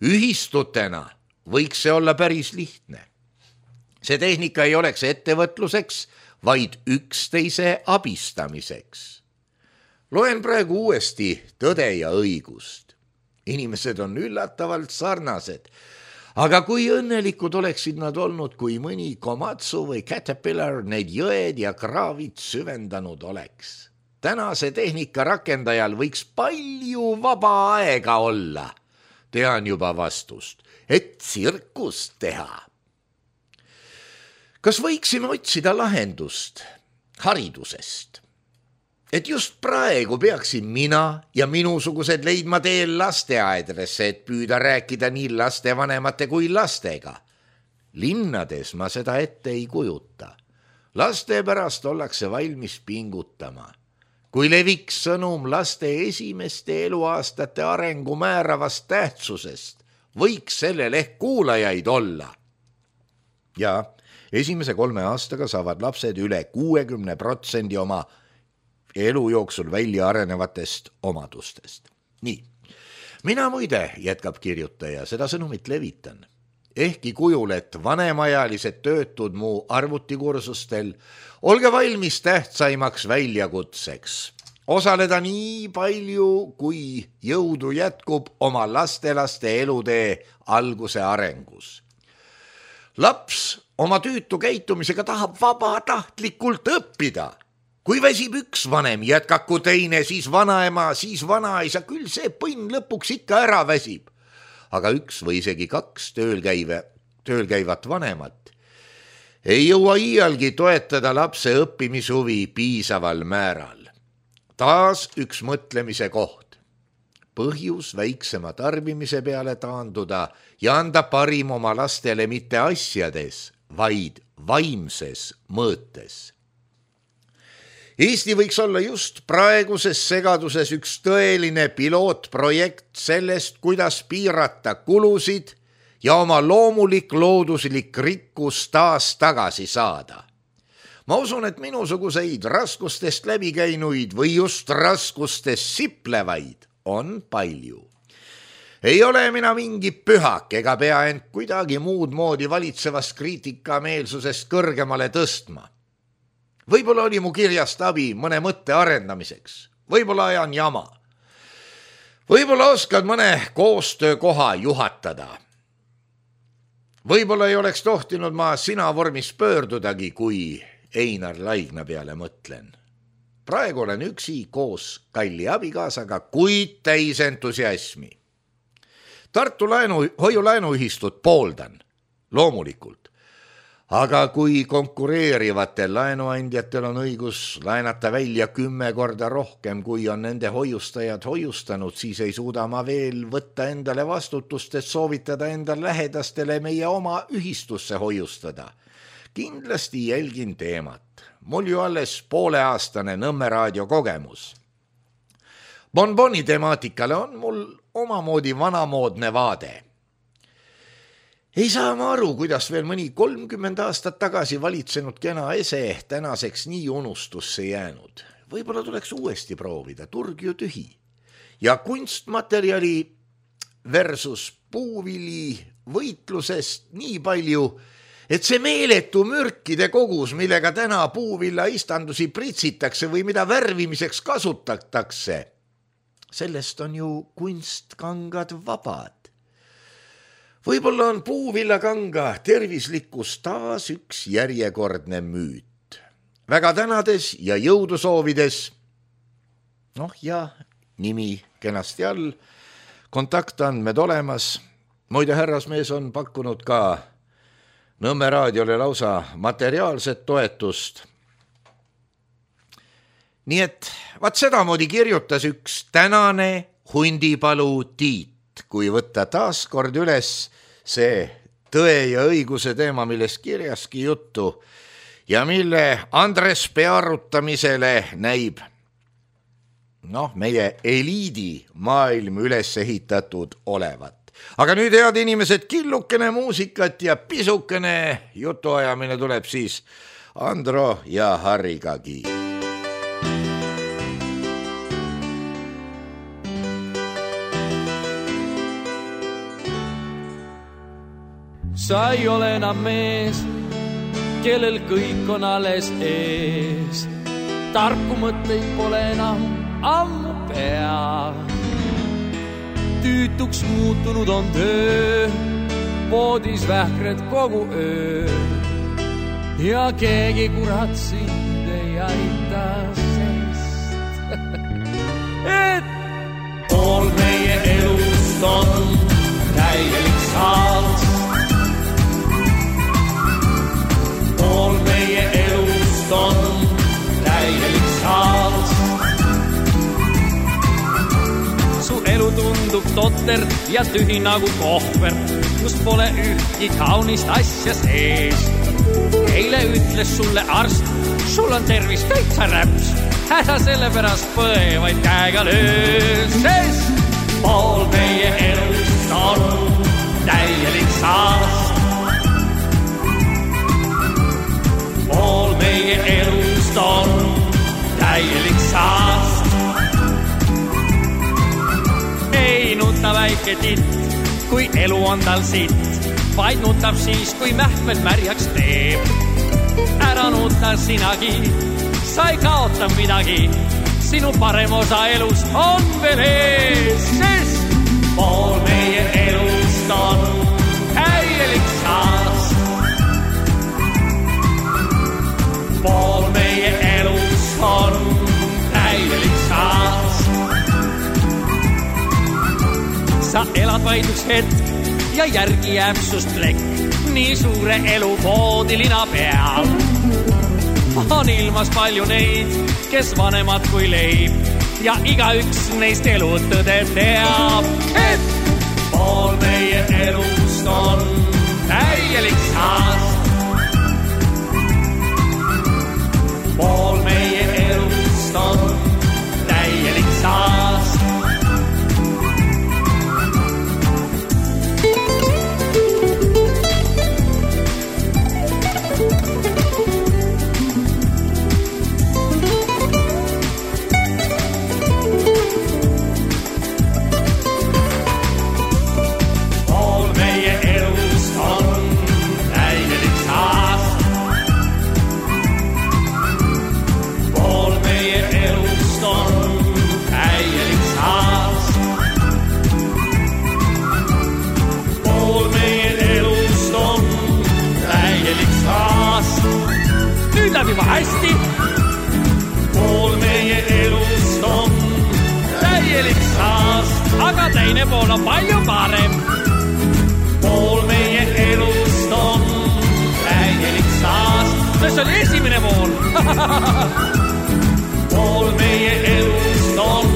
Ühistutena võiks see olla päris lihtne. See tehnika ei oleks ettevõtluseks, vaid üksteise abistamiseks. Loen praegu uuesti Tõde ja õigust. Inimesed on üllatavalt sarnased, aga kui õnnelikud oleksid nad olnud, kui mõni Komatsu või Caterpillar need jõed ja kraavid süvendanud oleks. Tänase tehnika rakendajal võiks palju vaba aega olla. Tean juba vastust, et tsirkust teha. Kas võiksime otsida lahendust haridusest? Et just praegu peaksin mina ja minusugused leidma teel lasteaedresse, et püüda rääkida nii lastevanemate kui lastega. Linnades ma seda ette ei kujuta. Laste pärast ollakse valmis pingutama. Kui leviks sõnum laste esimeste eluaastate arengu määravast tähtsusest, võiks sellel ehk kuulajaid olla. Ja esimese kolme aastaga saavad lapsed üle kuuekümne protsendi oma elu jooksul välja arenevatest omadustest. Nii, mina muide, jätkab kirjutaja, seda sõnumit levitan. Ehkki kujul, et vanemajalised töötud mu arvutikursustel, olge valmis tähtsaimaks väljakutseks. Osaleda nii palju, kui jõudu jätkub oma lastelaste elutee alguse arengus. Laps oma tüütu käitumisega tahab vabatahtlikult õppida. Kui väsib üks vanem, jätkaku teine, siis vanaema, siis vanaisa, küll see põnn lõpuks ikka ära väsib. Aga üks või isegi kaks töölkäive, töölkäivat vanemat ei jõua iialgi toetada lapse õppimishuvi piisaval määral. Taas üks mõtlemise koht. Põhjus väiksema tarbimise peale taanduda ja anda parim oma lastele mitte asjades, vaid vaimses mõõtes. Eesti võiks olla just praeguses segaduses üks tõeline pilootprojekt sellest, kuidas piirata kulusid ja oma loomulik looduslik rikkus taas tagasi saada. Ma usun, et minusuguseid raskustest läbikäinuid või just raskustest siplevaid on palju. Ei ole mina mingi pühak ega pea end kuidagi muud moodi valitsevast kriitikameelsusest kõrgemale tõstma. Võib-olla oli mu kirjast abi mõne mõtte arendamiseks. Võib-olla ajan jama. Võib-olla oskad mõne koostöökoha juhatada. Võib-olla ei oleks tohtinud ma sina vormis pöördudagi, kui Einar Laigna peale mõtlen. Praegu olen üksi koos kalli abikaasaga, kuid täis entusiasmi. Tartu laenu, hoiulaenuühistut pooldan, loomulikult. Aga kui konkureerivatel laenuandjatel on õigus laenata välja kümme korda rohkem, kui on nende hoiustajad hoiustanud, siis ei suuda ma veel võtta endale vastutust, et soovitada enda lähedastele meie oma ühistusse hoiustada. Kindlasti jälgin teemat. Mul ju alles pooleaastane Nõmme raadio kogemus. Bonboni temaatikale on mul omamoodi vanamoodne vaade. Ei saa ma aru, kuidas veel mõni kolmkümmend aastat tagasi valitsenud kena ese tänaseks nii unustusse jäänud. Võib-olla tuleks uuesti proovida, turg ju tühi. Ja kunstmaterjali versus puuvili võitlusest nii palju, et see meeletu mürkide kogus, millega täna puuvilla istandusi pritsitakse või mida värvimiseks kasutatakse, sellest on ju kunstkangad vabad. Võib-olla on puuvillakanga tervislikkus taas üks järjekordne müüt. Väga tänades ja jõudu soovides, noh ja nimi kenasti all, kontaktandmed olemas. Muide härrasmees on pakkunud ka Nõmme raadiole lausa materiaalset toetust. Nii et vaat sedamoodi kirjutas üks tänane hundipalu Tiit, kui võtta taas kord üles see tõe ja õiguse teema, millest kirjaski juttu ja mille Andres pearutamisele näib noh, meie eliidi maailm üles ehitatud olevat. Aga nüüd, head inimesed, killukene muusikat ja pisukene jutuajamine tuleb siis Andro ja Harrigagi. Sa ei ole enam mees, kellel kõik on alles ees. Tarku mõtteid pole enam ammu pea. Tüütuks muutunud on töö, voodis vähkred kogu öö ja keegi kurat sind ei aita, sest et pool meie elust on täielik saals. Pool meie elust on täielik saals. Su elu tundub totter ja tühi nagu kohver, kus pole ühtki kaunist asja sees. Eile ütles sulle arst, sul on tervis täitsa räps, ära selle pärast põe, vaid käega löö, sest pool meie elust on täielik saast. Pool meie elust on täielik saast. Ei nuta väike titt, kui elu on tal sitt, vaid nutab siis, kui mähkmed märjaks teeb. Ära nuta sinagi, sa ei kaota midagi, sinu parem osa elus on veel ees, sest pool meie elust on täielik saast. Pool meie elust on täielik saast. Sa elad vaid üks hetk ja järgi jääb sust plekk, nii suure elu voodilina peal. On ilmas palju neid, kes vanemad kui leib, ja igaüks neist elutõde teab, et pool meie elust on täielik saast. Pool meie elust on täielik saast. Juba hästi. Pool meie elust on täielik saast, aga teine pool on palju parem. Pool meie elust on täielik saast. See oli esimene pool. Pool meie elust on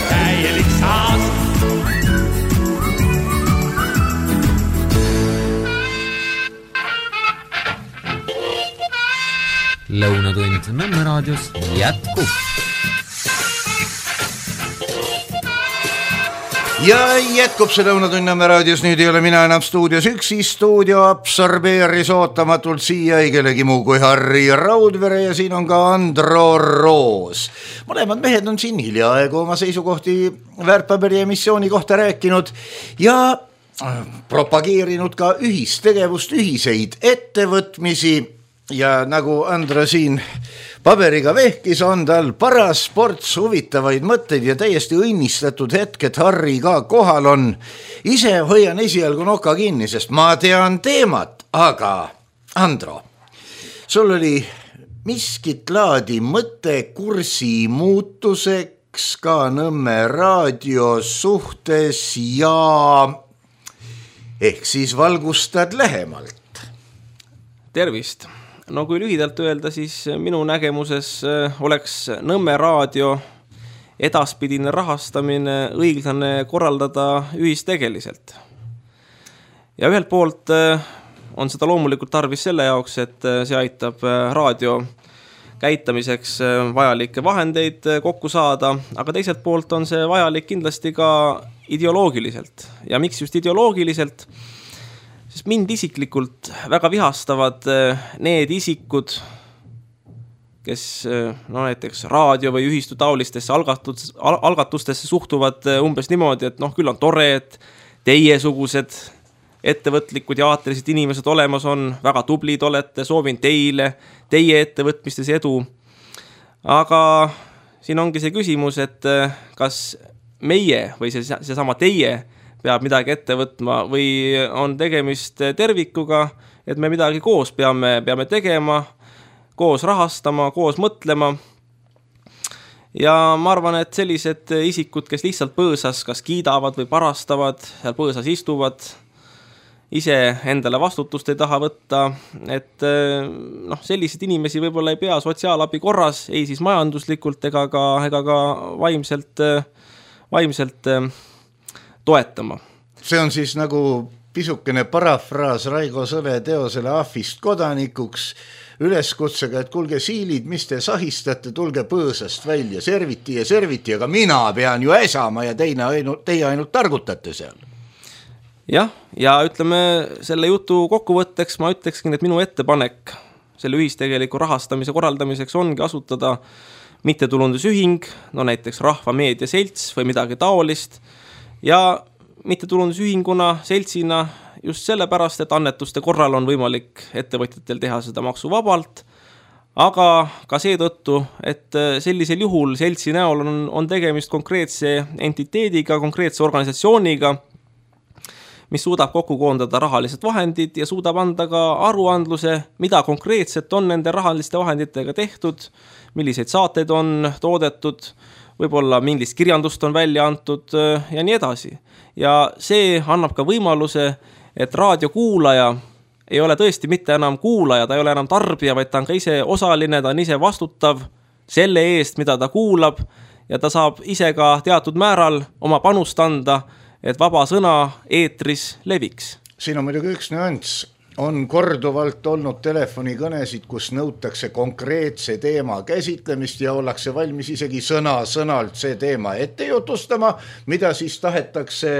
täielik saast. Lõunatund Nõmme raadios jätkub. Ja jätkub see Lõunatund Nõmme raadios, nüüd ei ole mina enam stuudios üksi, stuudio absorbeeris ootamatult siia ei kellegi muu kui Harri Raudvere ja siin on ka Andro Roos. Mõlemad mehed on siin hiljaaegu oma seisukohti väärtpaberi emissiooni kohta rääkinud ja propageerinud ka ühistegevust, ühiseid ettevõtmisi. Ja nagu Andro siin paberiga vehkis, on tal paras sports, huvitavaid mõtteid ja täiesti õnnistatud hetk, et Harri ka kohal on. Ise hoian esialgu noka kinni, sest ma tean teemat, aga Andro, sul oli miskit laadi mõte kursi muutuseks ka Nõmme raadio suhtes ja ehk siis valgustad lähemalt. Tervist! No kui lühidalt öelda, siis minu nägemuses oleks Nõmme raadio edaspidine rahastamine õiglane korraldada ühistegeliselt. Ja ühelt poolt on seda loomulikult tarvis selle jaoks, et see aitab raadio käitamiseks vajalikke vahendeid kokku saada, aga teiselt poolt on see vajalik kindlasti ka ideoloogiliselt. Ja miks just ideoloogiliselt? Sest mind isiklikult väga vihastavad need isikud, kes no näiteks raadio või ühistu taolistesse algatustesse suhtuvad umbes niimoodi, et noh, küll on tore, et teiesugused ettevõtlikud ja aatelised inimesed olemas on, väga tublid olete, soovin teile, teie ettevõtmistes edu. Aga siin ongi see küsimus, et kas meie või see, see sama teie peab midagi ette võtma või on tegemist tervikuga, et me midagi koos peame, peame tegema, koos rahastama, koos mõtlema. Ja ma arvan, et sellised isikud, kes lihtsalt põõsas kas kiidavad või parastavad, seal põõsas istuvad, ise endale vastutust ei taha võtta, et noh, sellised inimesi võib-olla ei pea sotsiaalabi korras, ei siis majanduslikult ega ka, ega ka vaimselt, vaimselt toetama. See on siis nagu pisukene parafraas Raigo Sõle teosele Ahvist kodanikuks, üleskutsega, et kulge siilid, mis te sahistate, tulge põõsast välja, serviti ja serviti, aga mina pean ju äsama ja teine ainult, teie ainult targutate seal. Jah, ja ütleme selle jutu kokkuvõtteks ma ütlekskin, et minu ettepanek selle ühistegeliku rahastamise korraldamiseks ongi asutada mittetulundusühing, no näiteks Rahva Meedia Selts või midagi taolist, ja mittetulundusühinguna, seltsina just sellepärast, et annetuste korral on võimalik ettevõtjatel teha seda maksuvabalt, aga ka seetõttu, et sellisel juhul seltsi näol on, on tegemist konkreetse entiteediga, konkreetse organisatsiooniga, mis suudab kokku koondada rahalised vahendid ja suudab anda ka aruandluse, mida konkreetselt on nende rahaliste vahenditega tehtud, milliseid saateid on toodetud, võib-olla millist kirjandust on välja antud ja nii edasi. Ja see annab ka võimaluse, et raadiokuulaja ei ole tõesti mitte enam kuulaja, ta ei ole enam tarbija, vaid ta on ka ise osaline, ta on ise vastutav selle eest, mida ta kuulab ja ta saab ise ka teatud määral oma panust anda, et vaba sõna eetris leviks. Siin on muidugi üks nüanss. On korduvalt olnud telefonikõnesid, kus nõutakse konkreetse teema käsitlemist ja ollakse valmis isegi sõna sõnalt see teema ette jutustama, mida siis tahetakse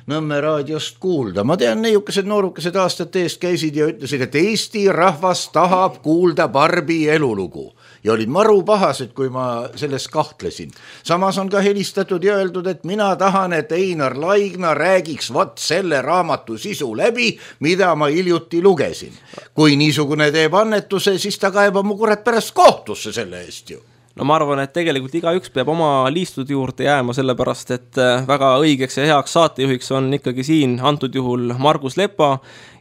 Nõmme raadiost kuulda. Ma tean, neiukesed noorukesed aastate eest käisid ja ütlesid, et Eesti rahvas tahab kuulda Barbi elulugu. Ja olid maru pahased, kui ma selles kahtlesin. Samas on ka helistatud ja öeldud, et mina tahan, et Einar Laigna räägiks vat selle raamatu sisu läbi, mida ma hiljuti lugesin. Kui niisugune teeb annetuse, siis ta kaebab mu kurat pärast kohtusse selle eest ju. No ma arvan, et tegelikult igaüks peab oma liistud juurde jääma, sellepärast, et väga õigeks ja heaks saatejuhiks on ikkagi siin antud juhul Margus Lepa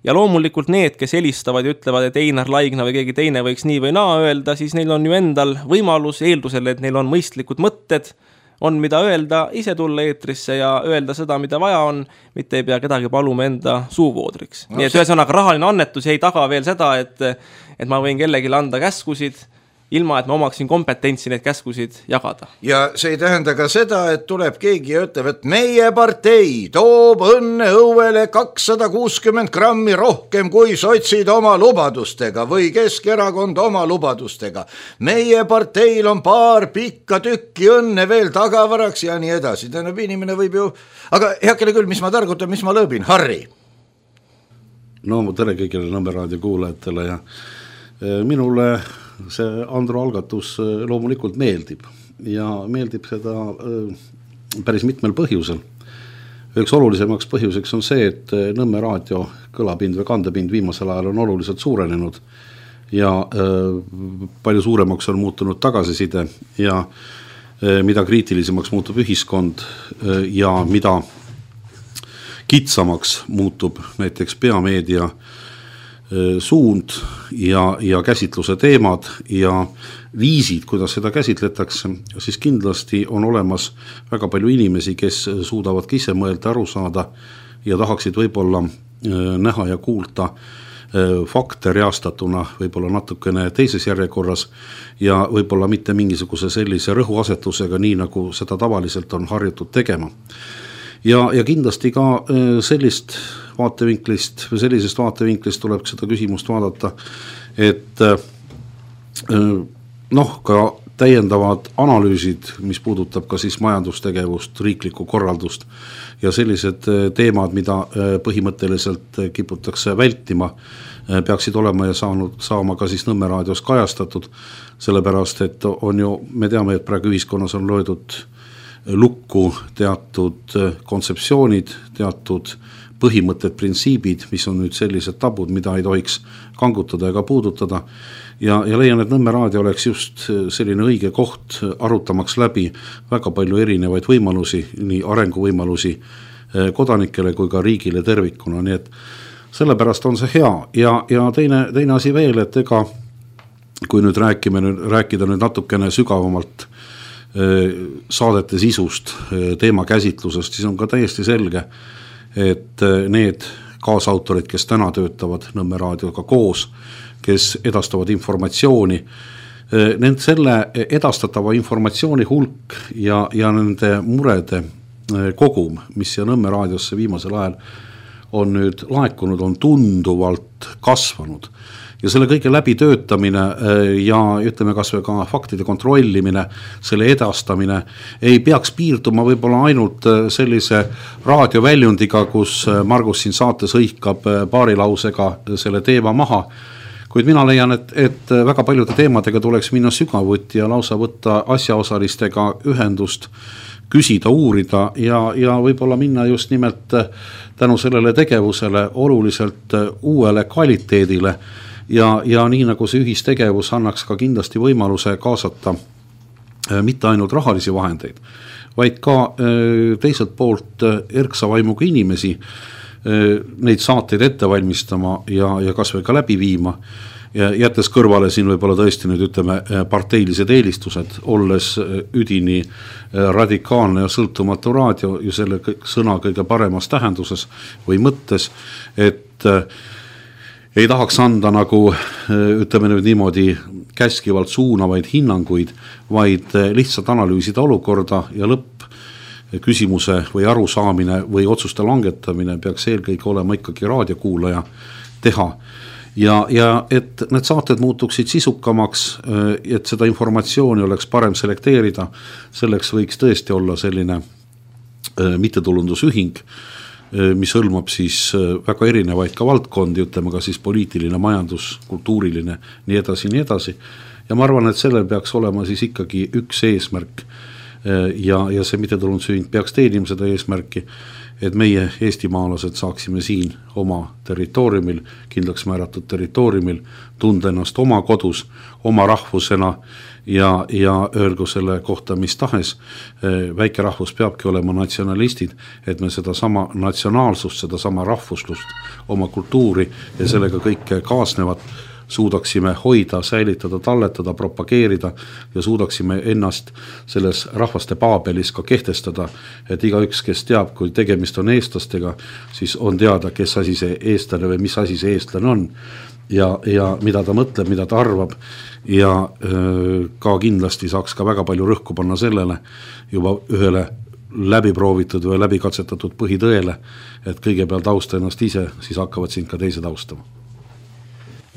ja loomulikult need, kes helistavad ja ütlevad, et Einar Laigna või keegi teine võiks nii või naa öelda, siis neil on ju endal võimalus eeldusel, et neil on mõistlikud mõtted, on mida öelda, ise tulla eetrisse ja öelda seda, mida vaja on, mitte ei pea kedagi paluma enda suuvoodriks. No, nii et ühesõnaga rahaline annetus ei taga veel seda, et, et ma võin kellelegi anda käskusid, ilma, et ma omaksin kompetentsi neid käskusid jagada. Ja see ei tähenda ka seda, et tuleb keegi ja ütleb, et meie partei toob õnne õuele kakssada kuuskümmend grammi rohkem kui sotsid oma lubadustega või Keskerakond oma lubadustega. Meie parteil on paar pikka tükki õnne veel tagavaraks ja nii edasi. Tähendab, inimene võib ju... Aga heakene küll, mis ma targutan, mis ma lõõbin? Harri? No tere kõigile Nõmme raadio kuulajatele ja minule... see Andro algatus loomulikult meeldib ja meeldib seda päris mitmel põhjusel. Üks olulisemaks põhjuseks on see, et Nõmme raadio kõlapind või kandepind viimasel ajal on oluliselt suurenenud ja palju suuremaks on muutunud tagasiside ja mida kriitilisemaks muutub ühiskond ja mida kitsamaks muutub näiteks peameedia suund ja, ja käsitluse teemad ja viisid, kuidas seda käsitletakse, siis kindlasti on olemas väga palju inimesi, kes suudavad ise mõelda, aru saada ja tahaksid võib-olla näha ja kuulda fakte reastatuna võib-olla natukene teises järjekorras ja võib-olla mitte mingisuguse sellise rõhuasetusega, nii nagu seda tavaliselt on harjutud tegema. Ja, ja kindlasti ka sellist vaatevinklist või sellisest vaatevinklist tuleb seda küsimust vaadata, et noh, ka täiendavad analüüsid, mis puudutab ka siis majandustegevust, riiklikku korraldust ja sellised teemad, mida põhimõtteliselt kiputakse vältima, peaksid olema ja saanud, saama ka siis Nõmme raadios kajastatud, sellepärast, et on ju, me teame, et praegu ühiskonnas on löödud lukku teatud kontseptsioonid, teatud põhimõtted, printsiibid, mis on nüüd sellised tabud, mida ei tohiks kangutada ega puudutada ja, ja leian, et Nõmme raadio oleks just selline õige koht arutamaks läbi väga palju erinevaid võimalusi, nii arenguvõimalusi kodanikele kui ka riigile tervikuna, nii et sellepärast on see hea ja, ja teine, teine asi veel, et ega kui nüüd rääkime, rääkida nüüd natukene sügavamalt saadete sisust, teema käsitlusest, siis on ka täiesti selge, et need kaasautorid, kes täna töötavad Nõmme raadioga koos, kes edastavad informatsiooni, nende selle edastatava informatsiooni hulk ja, ja nende murede kogum, mis siia Nõmme raadiosse viimasel ajal on nüüd laekunud, on tunduvalt kasvanud. Ja selle kõige läbi töötamine ja ütleme kas või ka faktide kontrollimine, selle edastamine ei peaks piirduma võib-olla ainult sellise raadioväljundiga, kus Margus siin saates hõikab paari lausega selle teema maha, kuid mina leian, et, et väga paljude teemadega tuleks minna sügavuti ja lausa võtta asjaosalistega ühendust, küsida, uurida ja, ja võib-olla minna just nimelt tänu sellele tegevusele oluliselt uuele kvaliteedile ja, ja nii nagu see ühistegevus annaks ka kindlasti võimaluse kaasata mitte ainult rahalisi vahendeid, vaid ka teiselt poolt erksa vaimuga inimesi neid saateid ette valmistama ja, ja kas või ka läbi viima. Ja jättes kõrvale siin võib-olla tõesti nüüd ütleme parteilised eelistused, olles üdini radikaalne ja sõltumatu raadio ju selle sõna kõige paremas tähenduses või mõttes, et ei tahaks anda nagu ütleme nüüd niimoodi käskivalt suunavaid hinnanguid, vaid lihtsalt analüüsida olukorda ja lõpp küsimuse või arusaamine või otsuste langetamine peaks eelkõige olema ikkagi raadiokuulaja teha. Ja, ja et need saated muutuksid sisukamaks, et seda informatsiooni oleks parem selekteerida, selleks võiks tõesti olla selline mittetulundusühing, mis hõlmab siis väga erinevaid ka valdkondi, ütleme ka siis poliitiline, majandus, kultuuriline, nii edasi, nii edasi. Ja ma arvan, et sellel peaks olema siis ikkagi üks eesmärk ja, ja see mittetulundusühing peaks teenima seda eesmärki, et meie eestimaalased saaksime siin oma territooriumil, kindlaks määratud territooriumil, tunda ennast oma kodus, oma rahvusena ja, ja öelgu selle kohta mis tahes. Väike rahvus peabki olema natsionalistid, et me seda sama natsionaalsust, seda sama rahvuslust, oma kultuuri ja sellega kõike kaasnevat suudaksime hoida, säilitada, talletada, propageerida ja suudaksime ennast selles rahvaste paabelis ka kehtestada, et igaüks, kes teab, kui tegemist on eestlastega, siis on teada, kes asi see eestlane või mis asi see eestlane on ja, ja mida ta mõtleb, mida ta arvab ja öö, ka kindlasti saaks ka väga palju rõhku panna sellele juba ühele läbiproovitud või läbikatsetatud põhitõele, et kõigepealt austa ennast ise, siis hakkavad sind ka teised austama.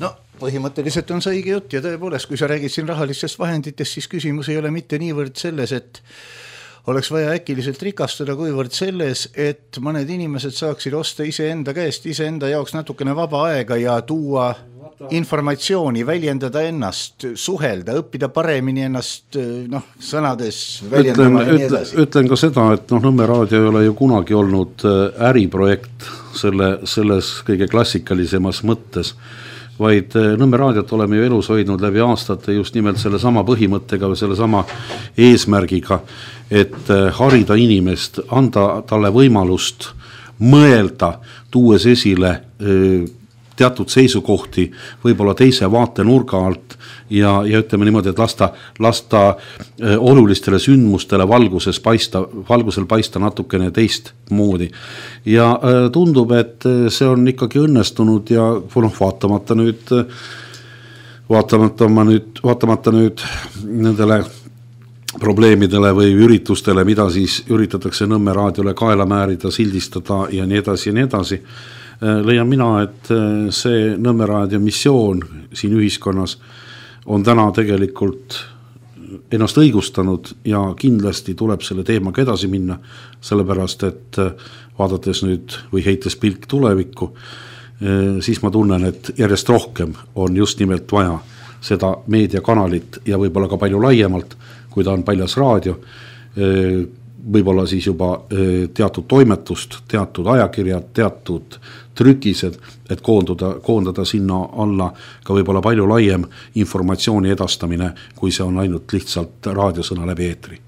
No põhimõtteliselt on see õige jutt ja tõepoolest, kui sa räägid siin rahalistest vahenditest, siis küsimus ei ole mitte niivõrd selles, et oleks vaja äkiliselt rikastada, kuivõrd selles, et mõned inimesed saaksid osta ise enda käest, ise enda jaoks natukene vaba aega ja tuua informatsiooni, väljendada ennast, suhelda, õppida paremini ennast noh, sõnades väljendama ütlen, ja nii edasi. Ütlen ka seda, et noh, Nõmme raadio ei ole ju kunagi olnud äriprojekt selle, selles kõige klassikalisemas mõttes, vaid Nõmme raadiot oleme ju elus hoidnud läbi aastate just nimelt selle sama põhimõttega või selle sama eesmärgiga, et harida inimest, anda talle võimalust mõelda, tuues esile teatud seisukohti, võib-olla teise vaatenurga alt ja, ja ütleme niimoodi, et lasta, lasta olulistele sündmustele valguses paista, valgusel paista natukene teist moodi. Ja tundub, et see on ikkagi õnnestunud ja noh, vaatamata nüüd, vaatamata, nüüd, vaatamata nüüd nendele probleemidele või üritustele, mida siis üritatakse Nõmme raadiole kaela määrida, sildistada ja nii edasi ja nii edasi. Leian mina, et see Nõmme raadio missioon siin ühiskonnas on täna tegelikult ennast õigustanud ja kindlasti tuleb selle teemaga edasi minna, sellepärast et vaadates nüüd või heites pilk tulevikku, siis ma tunnen, et järjest rohkem on just nimelt vaja seda meediakanalit ja võib-olla ka palju laiemalt, kui ta on paljas raadio, võib-olla siis juba teatud toimetust, teatud ajakirjad, teatud trükised, et koonduda, koondada sinna alla ka võib-olla palju laiem informatsiooni edastamine, kui see on ainult lihtsalt raadiosõna läbi eetri.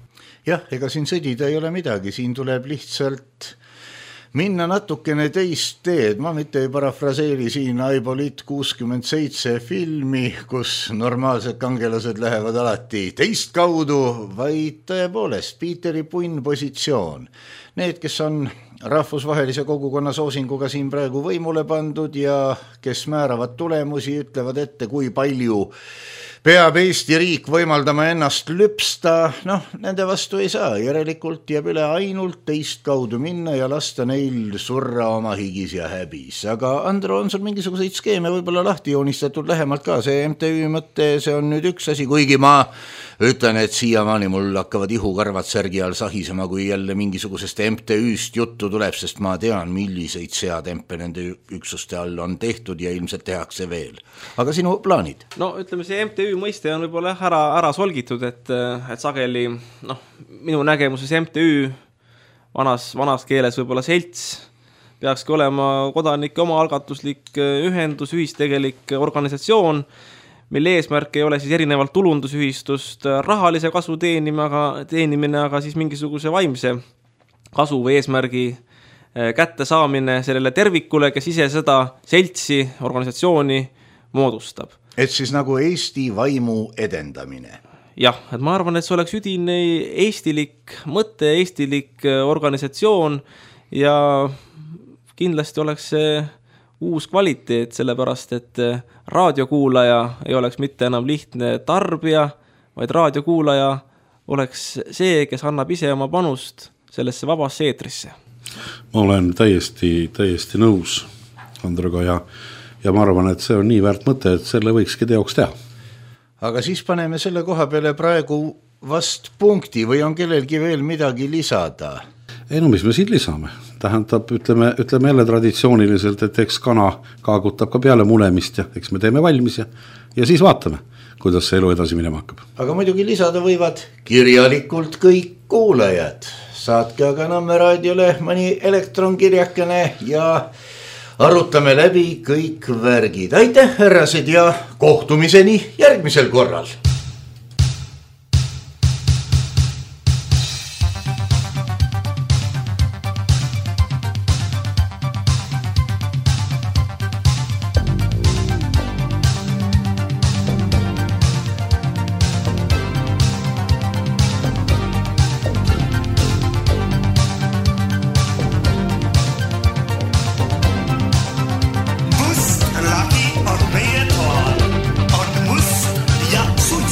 Jah, ega siin sõdida ei ole midagi, siin tuleb lihtsalt minna natukene teist teed, ma mitte ei parafraseeri siin Aibolit kuuskümmend seitse filmi, kus normaalsed kangelased lähevad alati teist kaudu, vaid tõepoolest Piiteri punn positsioon. Need, kes on rahvusvahelise kogukonna soosinguga siin praegu võimule pandud ja kes määravad tulemusi, ütlevad ette, kui palju peab Eesti riik võimaldama ennast lüpsta, noh, nende vastu ei saa, järelikult jääb üle ainult teist kaudu minna ja lasta neil surra oma higis ja häbis. Aga Andro, on sul mingisuguseid skeeme võib-olla lahti joonistatud lähemalt ka, see M T Ü mõte, see on nüüd üks asi, kuigi ma ütlen, et siiamaani mul hakkavad ihukarvad särgi all sahisema, kui jälle mingisugusest M T Ü-st juttu tuleb, sest ma tean, milliseid seatempe nende üksuste all on tehtud ja ilmselt tehakse veel. Aga sinu plaanid? No ütleme, see M T Ü mõiste on võib-olla ära, ära solgitud, et, et sageli, noh, minu nägemuses M T Ü vanas, vanas keeles võib-olla selts peakski olema kodanike omaalgatuslik ühendus, ühistegelik organisatsioon, mille eesmärk ei ole siis erinevalt tulundusühistust rahalise kasu teenima, aga, teenimine, aga siis mingisuguse vaimse kasu või eesmärgi kätte saamine sellele tervikule, kes ise seda seltsi, organisatsiooni moodustab. Et siis nagu Eesti vaimu edendamine. Jah, et ma arvan, et see oleks üdine eestilik mõte, eestilik organisatsioon ja kindlasti oleks see uus kvaliteet, sellepärast, et raadiokuulaja ei oleks mitte enam lihtne tarbija, vaid raadiokuulaja oleks see, kes annab ise oma panust sellesse vabasse eetrisse. Ma olen täiesti, täiesti nõus Androga ja, ja ma arvan, et see on nii väärt mõte, et selle võikski teoks teha. Aga siis paneme selle koha peale praegu vast punkti või on kellelgi veel midagi lisada? Ei no, mis me siin lisame? Tähendab, ütleme, ütleme jälle traditsiooniliselt, et eks kana kaagutab ka peale mulemist ja eks me teeme valmis ja, ja siis vaatame, kuidas see elu edasi minema hakkab. Aga muidugi lisada võivad kirjalikult kõik kuulajad. Saatke aga Nõmme raadiole mõni elektronkirjakene ja arutame läbi kõik värgid. Aitäh, härrased, ja kohtumiseni järgmisel korral! Must, Laki on meie toal, on must ja suit.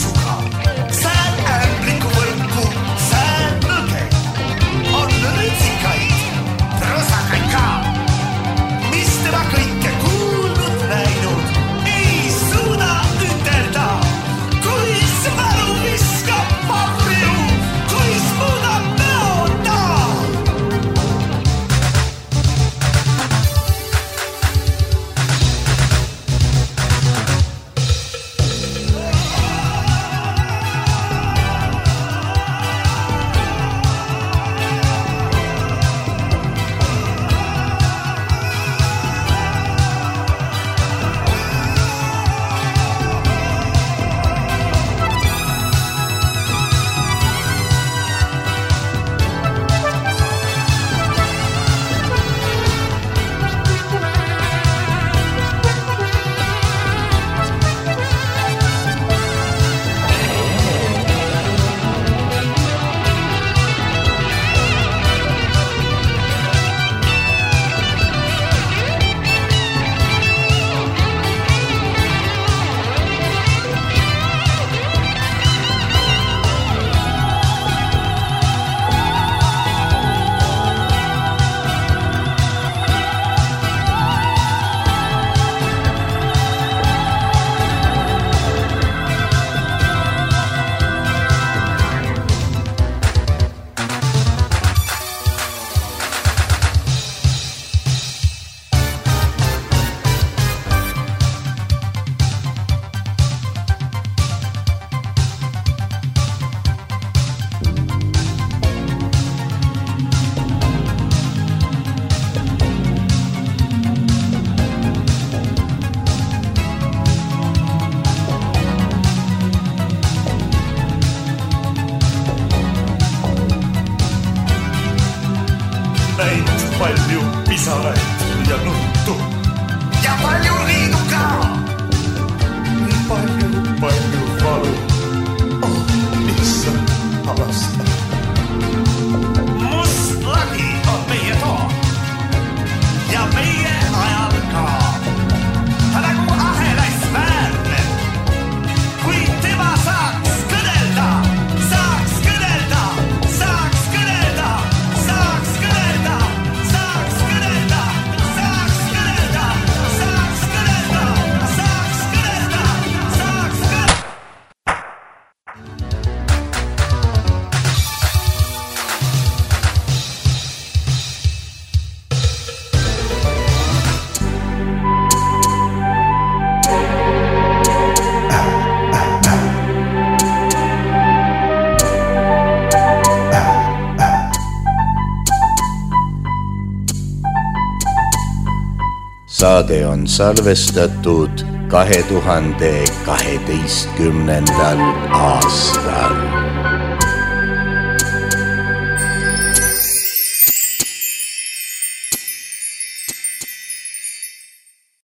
saade on salvestatud kahe tuhande kaheteistkümnendal aastal.